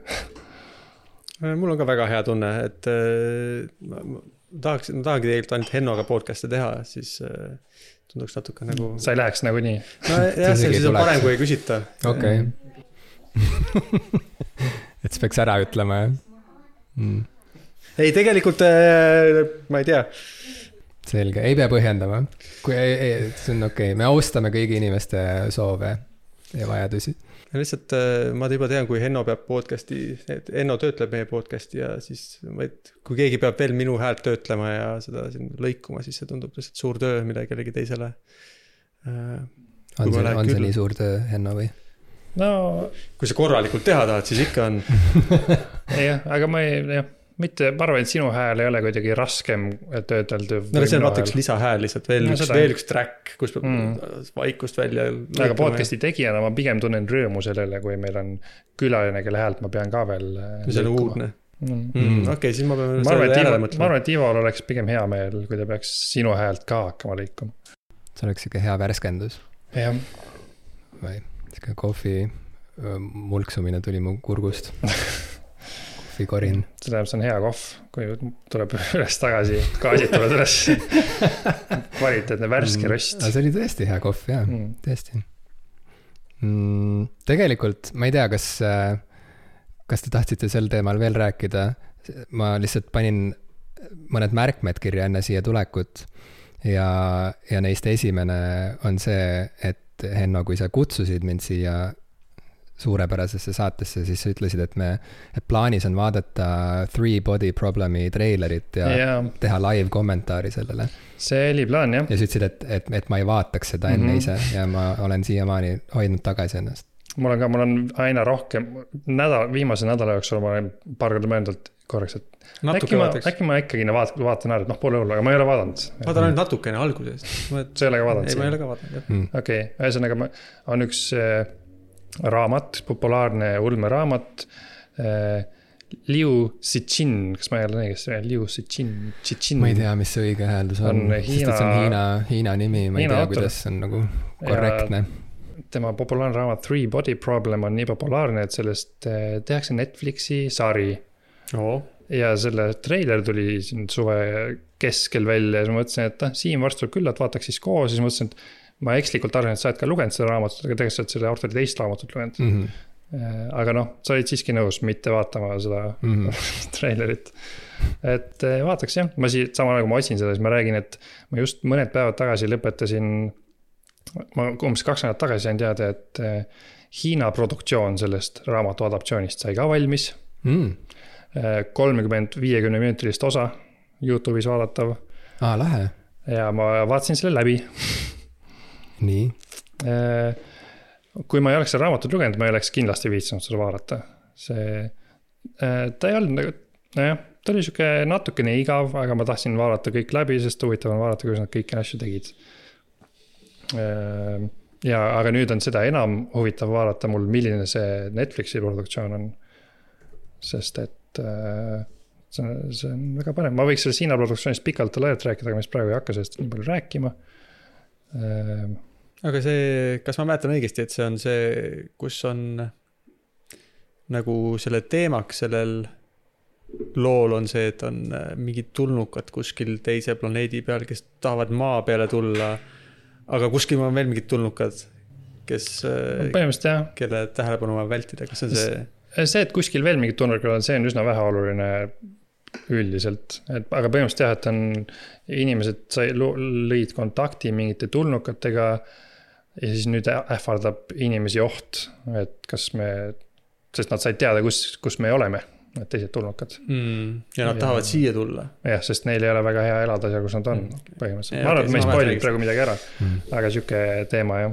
Mul on ka väga hea tunne, et ma tahangi tegelikult ainult Hennoga podcast'e teha, siis tunduks natuke nagu... Sa ei läheks nagu nii? No jah, see siis on parem, kui ei küsita. Okei. Et see peaks ära ütlema, jah? Ei, tegelikult, ma ei tea... Selge, ei pea põhjendama. See on okei. Me austame kõigi inimeste soove ja vajadusi. Lihtsalt ma juba tean, kui Henno peab podcasti, Henno töötleb meie podcasti ja siis kui keegi peab veel minu häält töötlema ja seda siin lõikuma, siis see tundub lihtsalt suur töö, mida kellegi teisele. On see nii suur töö, Henno, või? No, kui sa korralikult teha tahad, siis ikka on. Jah, aga ma arvan, et sinu hääl ei ole kuidagi raskem töötelda. No see on vaata üks lisahääl lihtsalt, veel üks track, kus vaikust välja. Aga podcasti tegijana ma pigem tunnen rõõmu sellele, kui meil on külaline, kelle häält ma pean ka veel see on uudne. Okei, siis ma pean selle järele mõtlema. Ma arvan, et Ival oleks pigem hea meel, kui ta peaks sinu häält ka hakkama lõikuma. See oleks ikka hea värskendus. Jah. Või kohvi mulksumine tuli mu kurgust. Korin. See tähendab, see on hea kohv, kui tuleb üles tagasi, gaasid tuleb üles. Kvaliteetne värske röst. See oli tõesti hea kohv, jah, tõesti. Tegelikult, ma ei tea, kas te tahtsite sel teemal veel rääkida. Ma lihtsalt panin mõned märkmed kirja enne siia tulekut ja neist esimene on see, et Henno, kui sa kutsusid mind siia suurepärasesse saatesse, siis sa ütlesid, et plaanis on vaadata 3 Body Problemi treilerit ja teha live kommentaari sellele. See oli plaan, jah. Ja sa ütlesid, et ma ei vaataks seda enne ise ja ma olen siiamaani hoidnud tagasi ennast. Mul on aina rohkem, viimase nädala jooksul ma olen paar korda mõeldud korraks, et äkki ma ikkagi vaatan ära, et pole hullu, aga ma ei ole vaadanud. Vaatan ainult natukene algusest. Sa ei ole ka vaadanud? Ei, ma ei ole ka vaadanud. Okei, ühesõnaga on üks raamat, populaarne ulmeraamat, Liu Cixin, kas ma ei ole õigesti, Liu Cixin. Ma ei tea, mis see õige hääldus on, sest et see on Hiina nimi, ma ei tea, kuidas see on nagu korrektne. Tema populaarne raamat 3 Body Problem on nii populaarne, et sellest tehakse Netflixi sari. ja selle treiler tuli siin suve keskel välja ja siis ma mõtlesin, et Siim varsti tuleb külla, et vaataks siis koos. Siis mõtlesin, et ma ekslikult arvan, et sa oled ka lugenud seda raamatut, aga tegelikult sa oled selle autori teist raamatut lugenud. Aga noh, sa olid siiski nõus mitte vaatama seda treilerit. Et vaataks jah, ma sama nagu ma otsin seda, siis ma räägin, et ma just mõned päevad tagasi lõpetasin, ma umbes 2 nädalat tagasi sain teada, et Hiina produktsioon sellest raamatu adaptsioonist sai ka valmis. 30-50 minutilist osa YouTube'is vaadatav. Lähe. Ja ma vaatasin selle läbi. Nii. Kui ma ei oleks seda raamatut lugenud, ma ei oleks kindlasti viitsinud seda vaadata. Ta ei olnud nagu, ta oli siuke natukene igav, aga ma tahtsin vaadata kõik läbi, sest huvitav on vaadata, kuidas nad kõiki asju tegid. Ja, aga nüüd on seda enam huvitav vaadata mul, milline see Netflixi produktsioon on. Sest et see on väga põnev. Ma võiks selle Hiina produktsioonist pikalt laialt rääkida, aga mis praegu ei hakka sellest nii palju rääkima. Aga see, kas ma mäletan õigesti, et see on see, kus on nagu selle teemaks sellel lool on see, et on mingid tulnukad kuskil teise planeedi peal, kes tahavad maa peale tulla, aga kuskil on veel mingid tulnukad, kes, kelle tähelepanu on vältida. Kas on see? See, et kuskil veel mingid tulnukad on, see on üsna vähe oluline üldiselt. Aga põhimõtteliselt jah, et on inimesed lõid kontakti mingite tulnukatega ja siis nüüd ähvardab inimesi oht, et kas me, sest nad said teada, kus me oleme, need teised tulnukad. Ja nad tahavad siia tulla. Jah, sest neil ei ole väga hea elada seal, kus nad on põhimõtteliselt. Ma arvan, et me ei spoilid praegu midagi ära, aga siuke teema jah.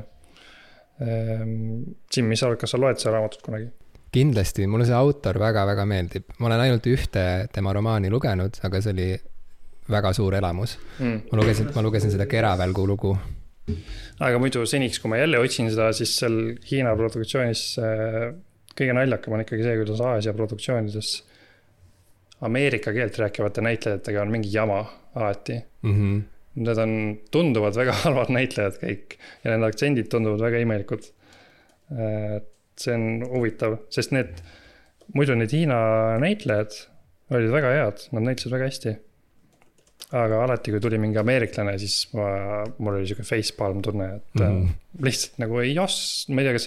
Jim, mis sa oled, kas sa loed seda raamatut kunagi? Kindlasti, mulle see autor väga-väga meeldib. Ma olen ainult ühte tema romaani lugenud, aga see oli väga suur elamus. Ma lugesin seda Keravälgu lugu. Aga muidu seniks, kui ma jälle otsin seda, siis seal Hiina produktsioonis kõige naljakam on ikkagi see, kuidas Aasia produktsioonides Ameerika keelt rääkivate näitlejatega on mingi jama alati. Need on tunduvad väga halvad näitlejad kõik ja need aktsendid tunduvad väga imelikud. See on huvitav, sest muidu need Hiina näitlejad olid väga head, nad näitlesid väga hästi. Aga alati, kui tuli mingi ameeriklane, siis mul oli siuke facepalm tunne, et lihtsalt nagu ma ei tea, kas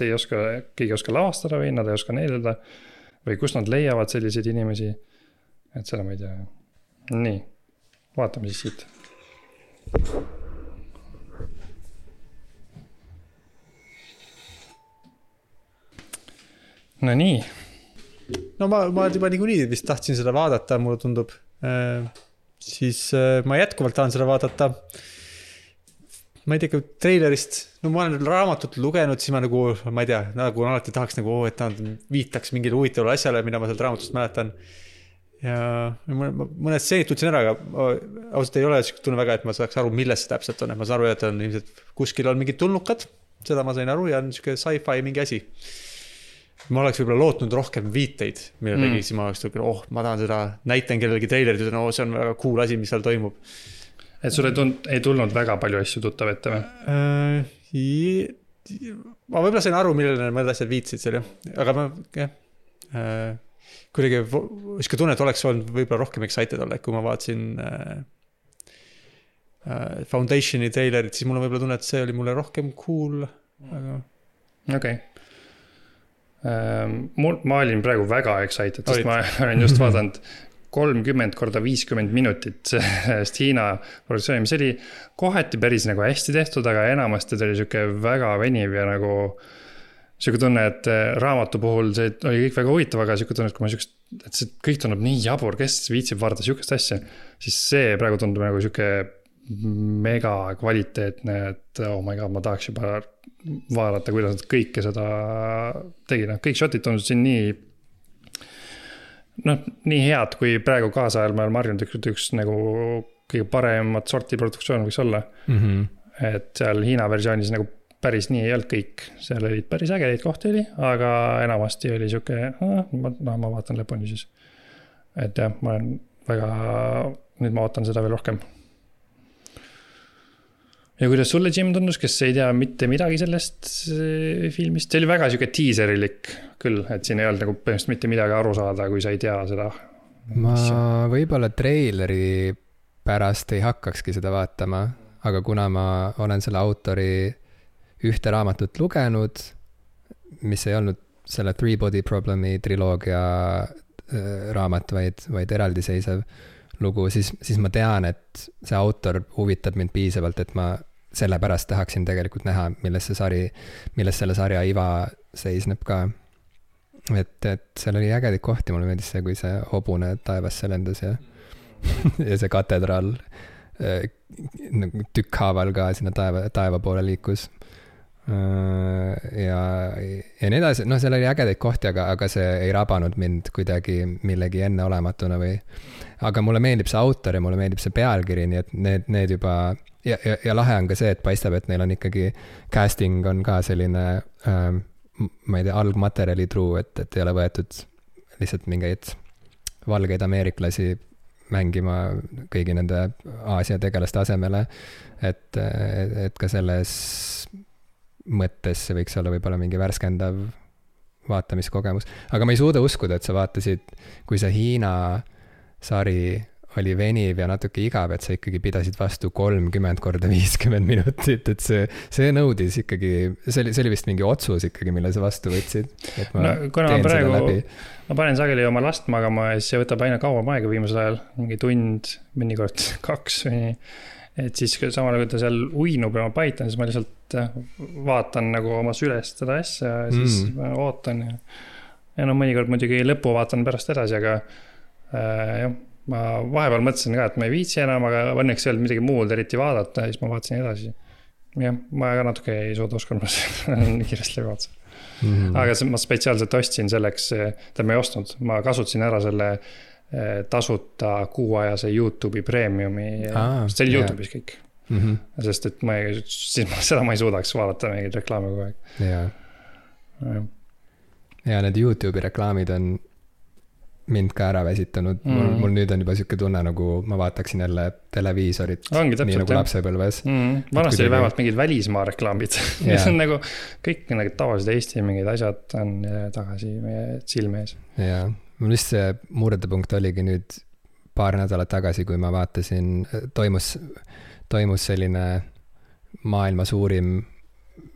keegi oska lavastada või nad ei oska neelida või kus nad leiavad selliseid inimesi. Et seda ma ei tea. Nii, vaatame siis siit. No nii. No ma juba niikuinii vist tahtsin seda vaadata, mulle tundub. Siis ma jätkuvalt tahan seda vaadata. Ma ei tea, treilerist, no ma olen raamatut lugenud, siis ma nagu, ma ei tea, nagu alati tahaks nagu, et nad viitaks mingile huvitavale asjale, mida ma sealt raamatust mäletan. Ja mõned seenid tutsin ära, aga ausalt ei ole tunne väga, et ma saaks aru, milles see täpselt on. Ma saan aru, et on ilmselt kuskil on mingid tulnukad, seda ma sain aru ja on siuke sci-fi mingi asi. Ma oleks võib-olla lootnud rohkem viiteid, mille tegi, siis ma oleks tulnud, ma tahan seda, näitan kellelegi treilerit, see on väga cool asi, mis seal toimub. Et sul ei tulnud väga palju asju tuttav ette või? Ma võib-olla sain aru, millele mõned asjad viitsid seal, aga ma kuidagi iska tunne, et oleks olnud võib-olla rohkem excited olla, kui ma vaatasin Foundationi treilerit, siis mul on võib-olla tunne, et see oli mulle rohkem cool. Aga... Okei. Ma olin praegu väga excited, sest ma olen just vaadanud 30x50 minutit sellest Hiina produktsiooni, mis oli kohati päris nagu hästi tehtud, aga enamasti ta oli siuke väga veniv ja nagu siuke tunne, et raamatu puhul see oli kõik väga huvitav, aga siuke tunne, et kui ma et see kõik tunneb nii jabur, kes viitsib vaadata siukest asja, siis see praegu tundub nagu siuke mega kvaliteetne, et oh my god, ma tahaks juba vaadata, kuidas nad kõike seda tegid. Kõik shotid tundusid siin nii head, kui praegu kaasajal ma olen marjunud üks nagu kõige paremat sorti produktsioon võiks olla. Et seal Hiina versioonis nagu päris nii ei olnud kõik. Seal olid päris ägedaid kohti oli, aga enamasti oli siuke, ma vaatan lõpuni siis. Et jah, ma olen väga, nüüd ma ootan seda veel rohkem. Ja kuidas sulle, Jim, tundus, kes ei tea mitte midagi sellest filmist? See oli väga siuke teaserilik küll, et siin ei olnud nagu põhimõtteliselt mitte midagi aru saada, kui sa ei tea seda ma võib-olla treileri pärast ei hakkakski seda vaatama, aga kuna ma olen selle autori ühte raamatut lugenud, mis ei olnud selle Three Body Problemi triloogia raamat, vaid eraldiseisev lugu, siis ma tean, et see autor huvitab mind piisavalt, et ma sellepärast tahaksin tegelikult näha, milles selle sarja iva seisneb ka. Et seal oli ägedik kohti, mulle meeldis see, kui see hobune taevasse lendas ja see katedraal tükkhaaval ka sinna taeva poole liikus. Ja nii edasi, seal oli ägedaid kohti, aga see ei rabanud mind kuidagi millegi enneolematuna aga mulle meeldib see autor ja mulle meeldib see pealkiri, nii et need juba ja lahe on ka see, et paistab, et neil on ikkagi casting on ka selline ma ei tea, algmaterjali truu, et ei ole võetud lihtsalt mingeid valgeid ameeriklasi mängima kõigi nende Aasia tegelaste asemele, et ka selles mõttes see võiks olla võib-olla mingi värskendav vaatamiskogemus. Aga ma ei suuda uskuda, et sa vaatasid, kui see Hiina sari oli veniv ja natuke igav, et sa ikkagi pidasid vastu 30 korda 50 minutit, et see nõudis ikkagi, see oli vist mingi otsus ikkagi, mille sa vastu võtsid. Kuna ma panen sageli oma last magama ja siis see võtab aina kauem aega viimasel ajal, mingi tund, mõnikord 2 või nii. Et siis samal kui ta seal uinub ja ma paitan, siis ma lihtsalt vaatan nagu oma sülest seda asja ja siis ma ootan ja mõnikord muidugi lõppu vaatan pärast edasi, aga jah, ma vahepeal mõtlesin ka, et ma ei viitsi enam, aga õnneks ei olnud midagi muud eriti vaadata ja siis ma vaatasin edasi. Jah, ma ka natuke ei suuda uskuda, nii kiiresti läbi vaatasin. Aga ma spetsiaalselt ostsin selleks, ma ei ostnud, ma kasutasin ära selle tasuta kuuajase YouTube'i premiumi, see oli YouTube'is kõik. Sest et seda ma ei suudaks vaadata mingid reklaami kogu aeg. Ja need YouTube'i reklaamid on mind ka ära väsitanud. Mul nüüd on juba siuke tunne, nagu ma vaataksin jälle televiisorit. Ongi täpselt, nii nagu lapsepõlves. Vanasti oli vähemalt mingid välismaa reklaamid. Mis on nagu kõik nagu tavalised Eesti mingid asjad on tagasi meie silme ees. Jaa, mul vist see murdepunkt oligi nüüd paar nädalat tagasi, kui ma vaatasin, toimus selline maailma suurim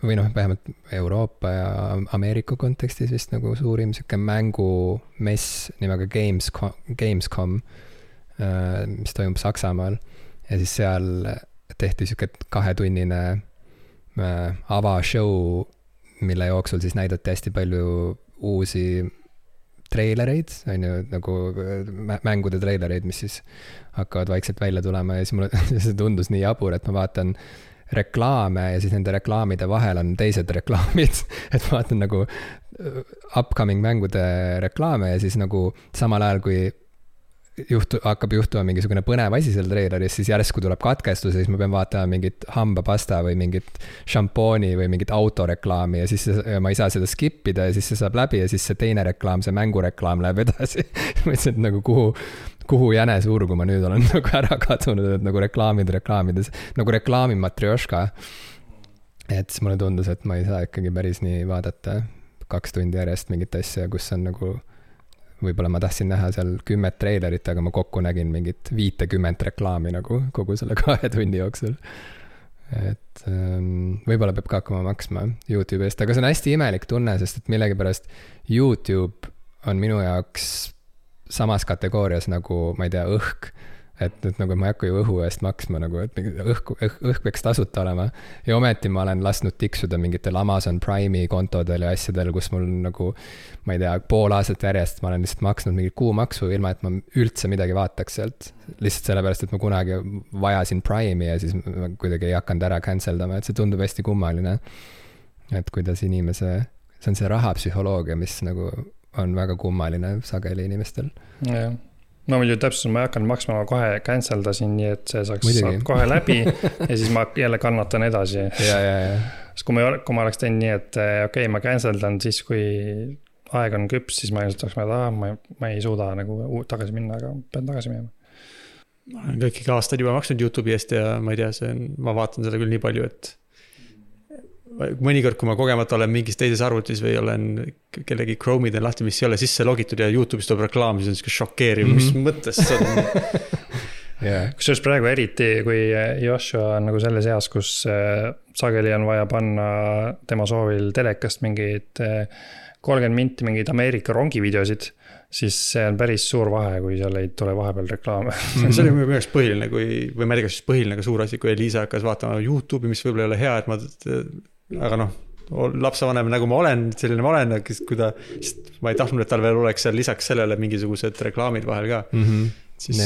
või vähemalt Euroopa ja Ameerika kontekstis vist nagu suurim siuke mängumess nimega Gamescom, mis toimub Saksamaal ja siis seal tehti siuke 2-tunnine avashow, mille jooksul siis näidati hästi palju uusi treilereid, on ju, nagu mängude treilereid, mis siis hakkavad vaikselt välja tulema ja siis mulle see tundus nii jabur, et ma vaatan reklaame ja siis nende reklaamide vahel on teised reklaamid, et ma vaatan nagu upcoming mängude reklaame ja siis nagu samal ajal, kui hakkab juhtuma mingisugune põnev asi seal treileris, siis järsku tuleb katkestus ja siis ma pean vaatama mingit hambapasta või mingit šampooni või mingit autoreklaami ja siis ma ei saa seda skippida ja siis see saab läbi ja siis see teine reklaam, see mängureklaam läheb edasi. Ma ütlesin, et nagu kuhu jänesuurgu ma nüüd olen nagu ära kadunud, et nagu reklaamides, nagu reklaami matrjoška. Et siis mulle tundus, et ma ei saa ikkagi päris nii vaadata 2 tundi järjest mingit asja, kus on nagu võib-olla ma tahtsin näha seal 10 treilerit, aga ma kokku nägin mingit 50 reklaami nagu kogu selle 2 tunni jooksul. Et võib-olla peab ka hakkama maksma YouTube eest, aga see on hästi imelik tunne, sest et millegipärast YouTube on minu jaoks samas kategoorias nagu, ma ei tea, õhk. Et nagu ma ei hakka ju õhu eest maksma, nagu, et õhk peaks tasuta olema. Ja ometi ma olen lasknud tiksuda mingitel Amazon Prime'i kontodel ja asjadel, kus mul nagu, ma ei tea, pool aastat järjest ma olen lihtsalt maksnud mingit kuumaksu, ilma et ma üldse midagi vaataks sealt. Lihtsalt sellepärast, et ma kunagi vajasin Prime'i ja siis ma kuidagi ei hakanud ära canceldama, et see tundub hästi kummaline. Et kuidas see on see rahapsühholoogia, mis nagu on väga kummaline sageli inimestel. Jah. No muidu täpselt, ma ei hakanud maksma, ma kohe canceldasin, nii et see saab kohe läbi ja siis ma jälle kannatan edasi. Sest kui ma oleks teinud nii, et okei, ma canceldan siis, kui aeg on küps, siis ma ilmselt oleks ma ei suuda nagu tagasi minna, aga pean tagasi minema. Ma olen kõiki aastaid juba maksnud YouTube'i eest ja ma ei tea, ma vaatan seda küll nii palju, et mõnikord, kui ma kogemata olen mingis teises arvutis või olen kellegi Chrome'i teen lahti, mis ei ole sisse logitud ja YouTube'is tuleb reklaam, siis on siuke šokeeriv, mis mõttes see on. Kusjuures praegu eriti, kui Joshua on nagu selles eas, kus sageli on vaja panna tema soovil telekast mingid 30 minti mingeid Ameerika rongivideosid, siis see on päris suur vahe, kui seal ei tule vahepeal reklaame. See oli minu jaoks põhiline, või ma ei tea, kas põhiline ka suur asi, kui Liisa hakkas vaatama YouTube'i, mis võib-olla ei ole hea, aga noh, lapsevanem nagu ma olen, selline ma olen, sest ma ei tahtnud, et tal veel oleks seal lisaks sellele mingisugused reklaamid vahel ka. Siis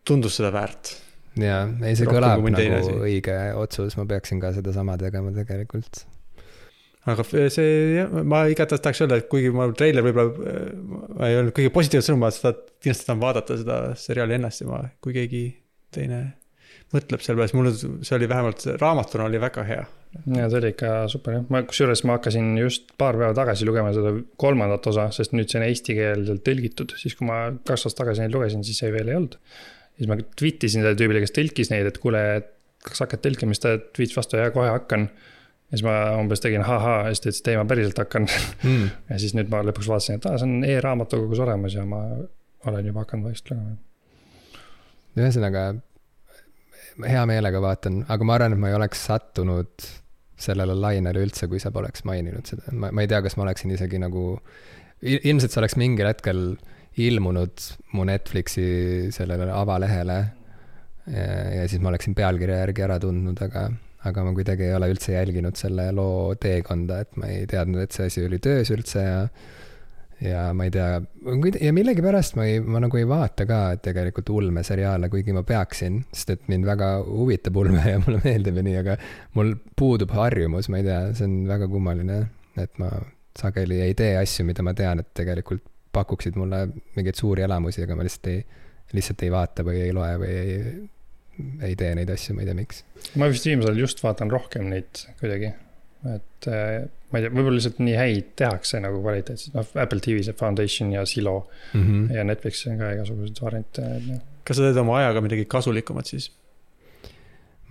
tundus seda väärt. Jaa, ei see kõlab nagu õige otsus, ma peaksin ka seda sama tegema tegelikult. Aga see, ma igatahes tahaks öelda, et kuigi ma trailer võib-olla ei olnud kõige positiivset sõnum, ma kindlasti tahan vaadata seda seriaali ennast ja kui keegi teine mõtleb selle peale, mulle see oli vähemalt raamatuna oli väga hea. Ja see oli ikka super, jah. Kusjuures ma hakkasin just paar päeva tagasi lugema seda 3. osa, sest nüüd see on eesti keelselt tõlgitud, siis kui ma 2 aastat tagasi neid lugesin, siis see veel ei olnud. Siis ma tweetisin selle tüübile, kes tõlkis neid, et kuule, kas hakkad tõlkima, siis ta tweets vastu ja kohe hakkan. Ja siis ma umbes tegin ja siis ta ütles, et ei, ma päriselt hakkan. Ja siis nüüd ma lõpuks vaatasin, et see on e-raamatukogus olemas ja ma olen juba hakanud vaikselt lugema. Ühesõnaga, hea meelega vaatan, aga ma arvan, et ma ei oleks sattunud sellele lainele üldse, kui sa poleks maininud seda. Ma ei tea, kas ma oleksin isegi nagu, ilmselt see oleks mingil hetkel ilmunud mu Netflixi sellele avalehele ja siis ma oleksin pealkirja järgi ära tundnud, aga ma kuidagi ei ole üldse jälginud selle loo teekonda, et ma ei teadnud, et see asi oli töös üldse ja ma ei tea, ja millegipärast ma nagu ei vaata ka tegelikult ulmeseriaale, kuigi ma peaksin, sest et mind väga huvitab ulme ja mulle meeldib ja nii, aga mul puudub harjumus, ma ei tea, see on väga kummaline, et ma sageli ei tee asju, mida ma tean, et tegelikult pakuksid mulle mingeid suuri elamusi, aga ma lihtsalt ei vaata või ei loe või ei tee neid asju, ma ei tea miks. Ma vist viimasel just vaatan rohkem neid kuidagi, et ma ei tea, võib-olla lihtsalt nii häid tehakse nagu kvaliteetselt, Apple TV, see Foundation ja Silo ja Netflix on ka igasugused variante. Kas sa teed oma ajaga midagi kasulikumat siis?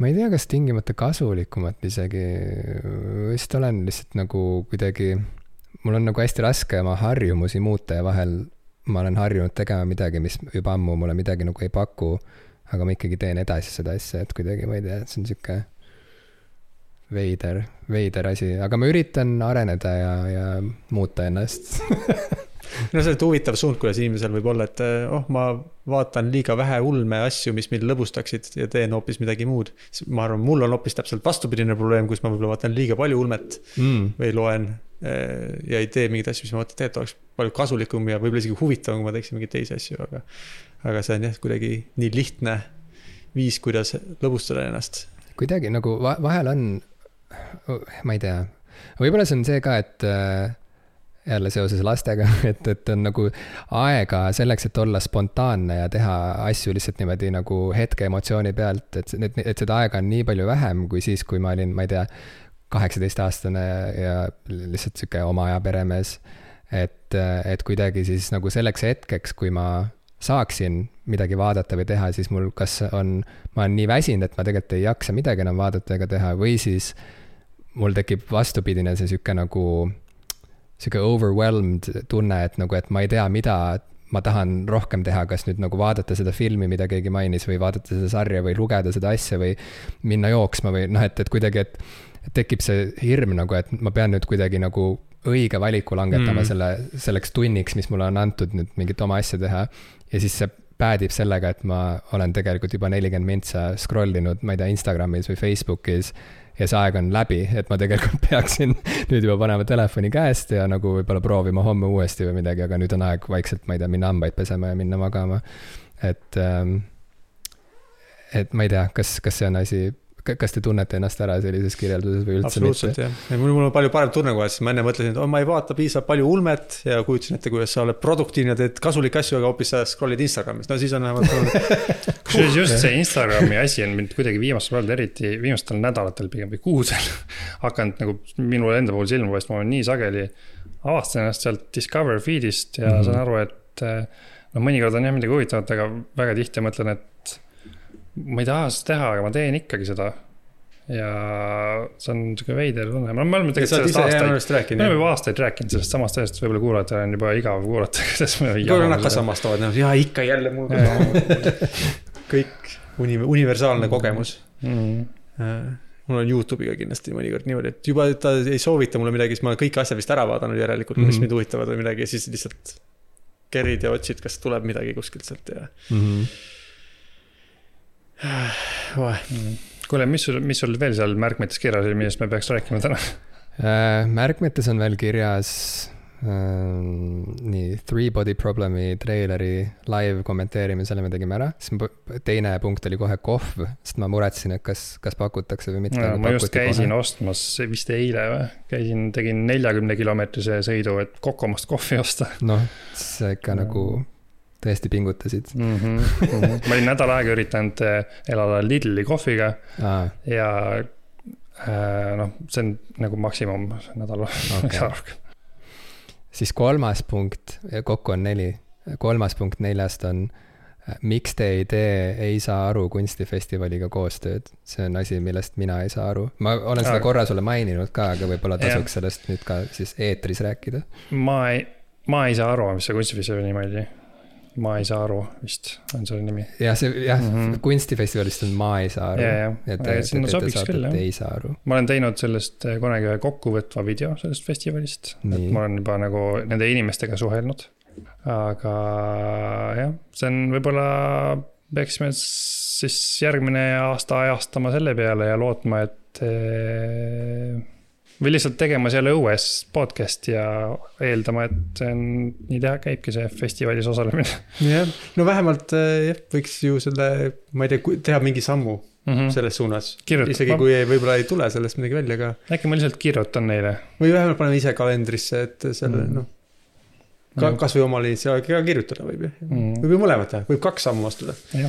Ma ei tea, kas tingimata kasulikumat isegi, vist olen lihtsalt nagu kuidagi, mul on nagu hästi raske oma harjumusi muuta ja vahel ma olen harjunud tegema midagi, mis juba ammu mulle midagi nagu ei paku, aga ma ikkagi teen edasi seda asja, et kuidagi, ma ei tea, et see on siuke veider asi, aga ma üritan areneda ja muuta ennast. No see on huvitav suund, kuidas inimesel võib olla, et ma vaatan liiga vähe ulme asju, mis mind lõbustaksid ja teen hoopis midagi muud. Ma arvan, mul on hoopis täpselt vastupidine probleem, kus ma võib-olla vaatan liiga palju ulmet või loen ja ei tee mingid asju, mis ma mõtlen, et oleks palju kasulikum ja võib-olla isegi huvitavam, kui ma teeksin mingeid teisi asju, aga see on jah kuidagi nii lihtne viis, kuidas lõbustada ennast. Kuidagi nagu vahel on, ma ei tea, võib-olla see on see ka, et jälle seoses lastega, et on nagu aega selleks, et olla spontaanne ja teha asju lihtsalt niimoodi nagu hetke emotsiooni pealt, et seda aega on nii palju vähem kui siis, kui ma olin, ma ei tea, 18-aastane ja lihtsalt siuke oma aja peremees, et kuidagi siis nagu selleks hetkeks, kui ma saaksin midagi vaadata või teha, siis mul ma olen nii väsinud, et ma tegelikult ei jaksa midagi enam vaadata ega teha või siis mul tekib vastupidine see siuke nagu siuke overwhelmed tunne, et nagu, et ma ei tea, mida ma tahan rohkem teha, kas nüüd nagu vaadata seda filmi, mida keegi mainis või vaadata seda sarja või lugeda seda asja või minna jooksma või noh, et kuidagi, et tekib see hirm nagu, et ma pean nüüd kuidagi nagu õige valiku langetama selleks tunniks, mis mulle on antud nüüd mingit oma asja teha ja siis see päädib sellega, et ma olen tegelikult juba 40 mintsa scrollinud, ma ei tea, Instagramis või Facebookis ja see aeg on läbi, et ma tegelikult peaksin nüüd juba panema telefoni käest ja nagu võib-olla proovima homme uuesti või midagi, aga nüüd on aeg vaikselt, ma ei tea, minna hambaid pesema ja minna magama. Et ma ei tea, kas see on asi, kas te tunnete ennast ära sellises kirjelduses või üldse absoluutselt, mitte? Absoluutselt, jah. Mul on palju parem tunne kohe, siis ma enne mõtlesin, et ma ei vaata piisavalt palju ulmet ja kujutasin ette, kuidas sa oled produktiivne, teed kasulik asju, aga hoopis sa scrollid Instagramis. No siis on vähemalt kusjuures just see Instagrami asi on mind kuidagi viimastel nädalatel pigem või kuudel hakanud nagu minul enda puhul silma paistma, ma olen nii sageli avastan ennast sealt Discover feedist ja saan aru, et mõnikord on jah midagi huvitavat, aga väga tihti mõtlen, et ma ei taha seda teha, aga ma teen ikkagi seda. ja see on niisugune veider tunne. Me oleme tegelikult sellest me oleme juba aastaid rääkinud sellest samast asjast, võib-olla kuulajatel on juba igav kuulata. Kui nad ka samastavad, ja ikka jälle mul ka kõik universaalne kogemus. Mul on YouTube'iga kindlasti mõnikord niimoodi, et juba ta ei soovita mulle midagi, siis ma olen kõik asjad vist ära vaadanud järelikult, mis mind huvitavad või midagi, ja siis lihtsalt kerid ja otsid, kas tuleb midagi kuskilt sealt ja Kuule, mis sul veel seal märkmetes kirjas oli, millest me peaks rääkima täna? Märkmetes on veel kirjas nii Three Body Problemi treileri live kommenteerime, selle me tegime ära. Teine punkt oli kohe kohv, sest ma muretsin, et kas pakutakse või mitte. Ma just käisin ostmas, vist eile või? Tegin 40-kilomeetrise sõidu, et Kokomast kohvi osta. Noh, see ikka nagu tõesti pingutasid. Ma olin nädal aega üritanud elada Lidli kohviga ja see on nagu maksimum nädal rohkem. Siis 3. punkt, kokku on 4. 3. punkt 4 on, miks te ei saa aru kunstifestivaliga koostööd? See on asi, millest mina ei saa aru. Ma olen seda korra sulle maininud ka, aga võibolla tasuks sellest nüüd ka siis eetris rääkida. Ma ei saa aru, mis see kunstifestivali nimi oli. Ma ei saa aru, vist on selle nimi. Kunstifestivalist on Ma ei saa aru. Et sobiks küll, ei saa aru. Ma olen teinud sellest kunagi ühe kokkuvõtva video sellest festivalist. Et ma olen juba nagu nende inimestega suhelnud. Aga jah, see on võibolla peaksime siis järgmine aasta ajastama selle peale ja lootma, et või lihtsalt tegema seal õues podcast ja eeldama, et nii käibki see festivalis osalemine. Jah, no vähemalt võiks ju selle, ma ei tea, teha mingi sammu selles suunas. Isegi kui võibolla ei tule sellest midagi välja ka. Äkki ma lihtsalt kirjutan neile. Või vähemalt paneme ise kalendrisse, et selle, kas või omal initsiaaliga kirjutada võib. Võib ju mõlemat teha, võib 2 sammu astuda. Jah,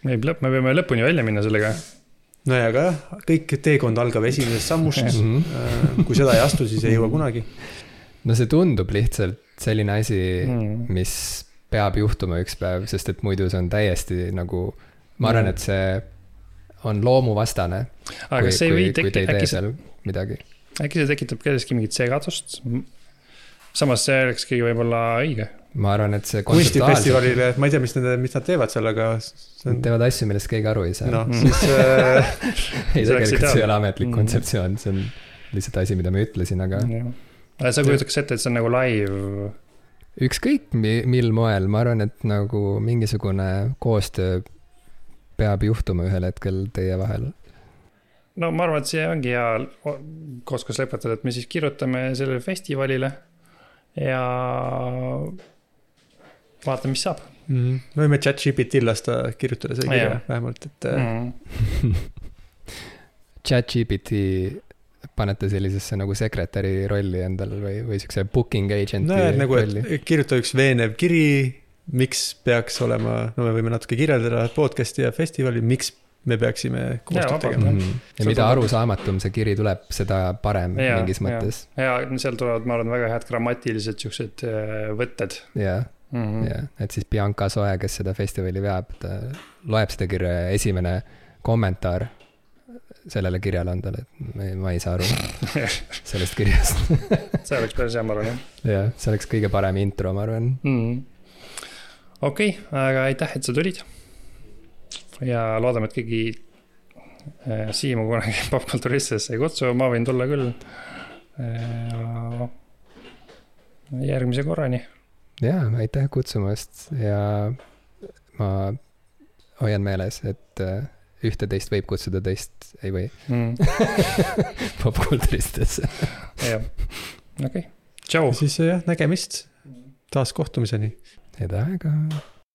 me peame lõpuni välja minna sellega. No ja ka kõik teekond algab esimesest sammust. Kui seda ei astu, siis ei jõua kunagi. No see tundub lihtsalt selline asi, mis peab juhtuma üks päev, sest et muidu see on täiesti nagu, ma arvan, et see on loomuvastane, kui te ei tee seal midagi. Äkki see tekitab kelleski mingit segadust? Samas see olekski võib-olla õige. Ma arvan, et see kunstifestivalile, ma ei tea, mis nad teevad seal, aga nad teevad asju, millest keegi aru ei saa. No, siis ei, tegelikult see ei ole ametlik kontseptsioon, see on lihtsalt asi, mida ma ütlesin, aga sa kujutaks ette, et see on nagu live? Ükskõik mil moel, ma arvan, et nagu mingisugune koostöö peab juhtuma ühel hetkel teie vahel. No ma arvan, et see ongi hea kooskas lõpetada, et me siis kirjutame sellele festivalile ja vaatame, mis saab. Me võime ChatGPT lasta kirjutada see kirja vähemalt, et ChatGPT panete sellisesse nagu sekretäri rolli endal või siukse booking agenti nagu, rolli. Kirjuta üks veenev kiri, miks peaks olema, no me võime natuke kirjeldada podcasti ja festivali, miks me peaksime koostööd tegema. Ja mida arusaamatum see kiri tuleb, seda parem mingis mõttes. Ja seal tulevad, ma arvan, väga head grammatilised siuksed võtted. Ja, et siis Bianca Soe, kes seda festivali veab, ta loeb seda kirja ja esimene kommentaar sellele kirjale on talle, et ma ei saa aru sellest kirjast. See oleks päris hea, ma arvan. Ja, see oleks kõige parem intro, ma arvan. Okei, aga aitäh, et sa tulid. Ja loodame, et keegi Siimu kunagi popkulturistesse ei kutsu, ma võin tulla küll järgmise korrani. Ja, aitäh kutsumast ja ma hoian meeles, et ühte teist võib kutsuda, teist ei või. Popkulturistesse. Jah, okei. Tšau. Siis nägemist taas kohtumiseni. Head aega.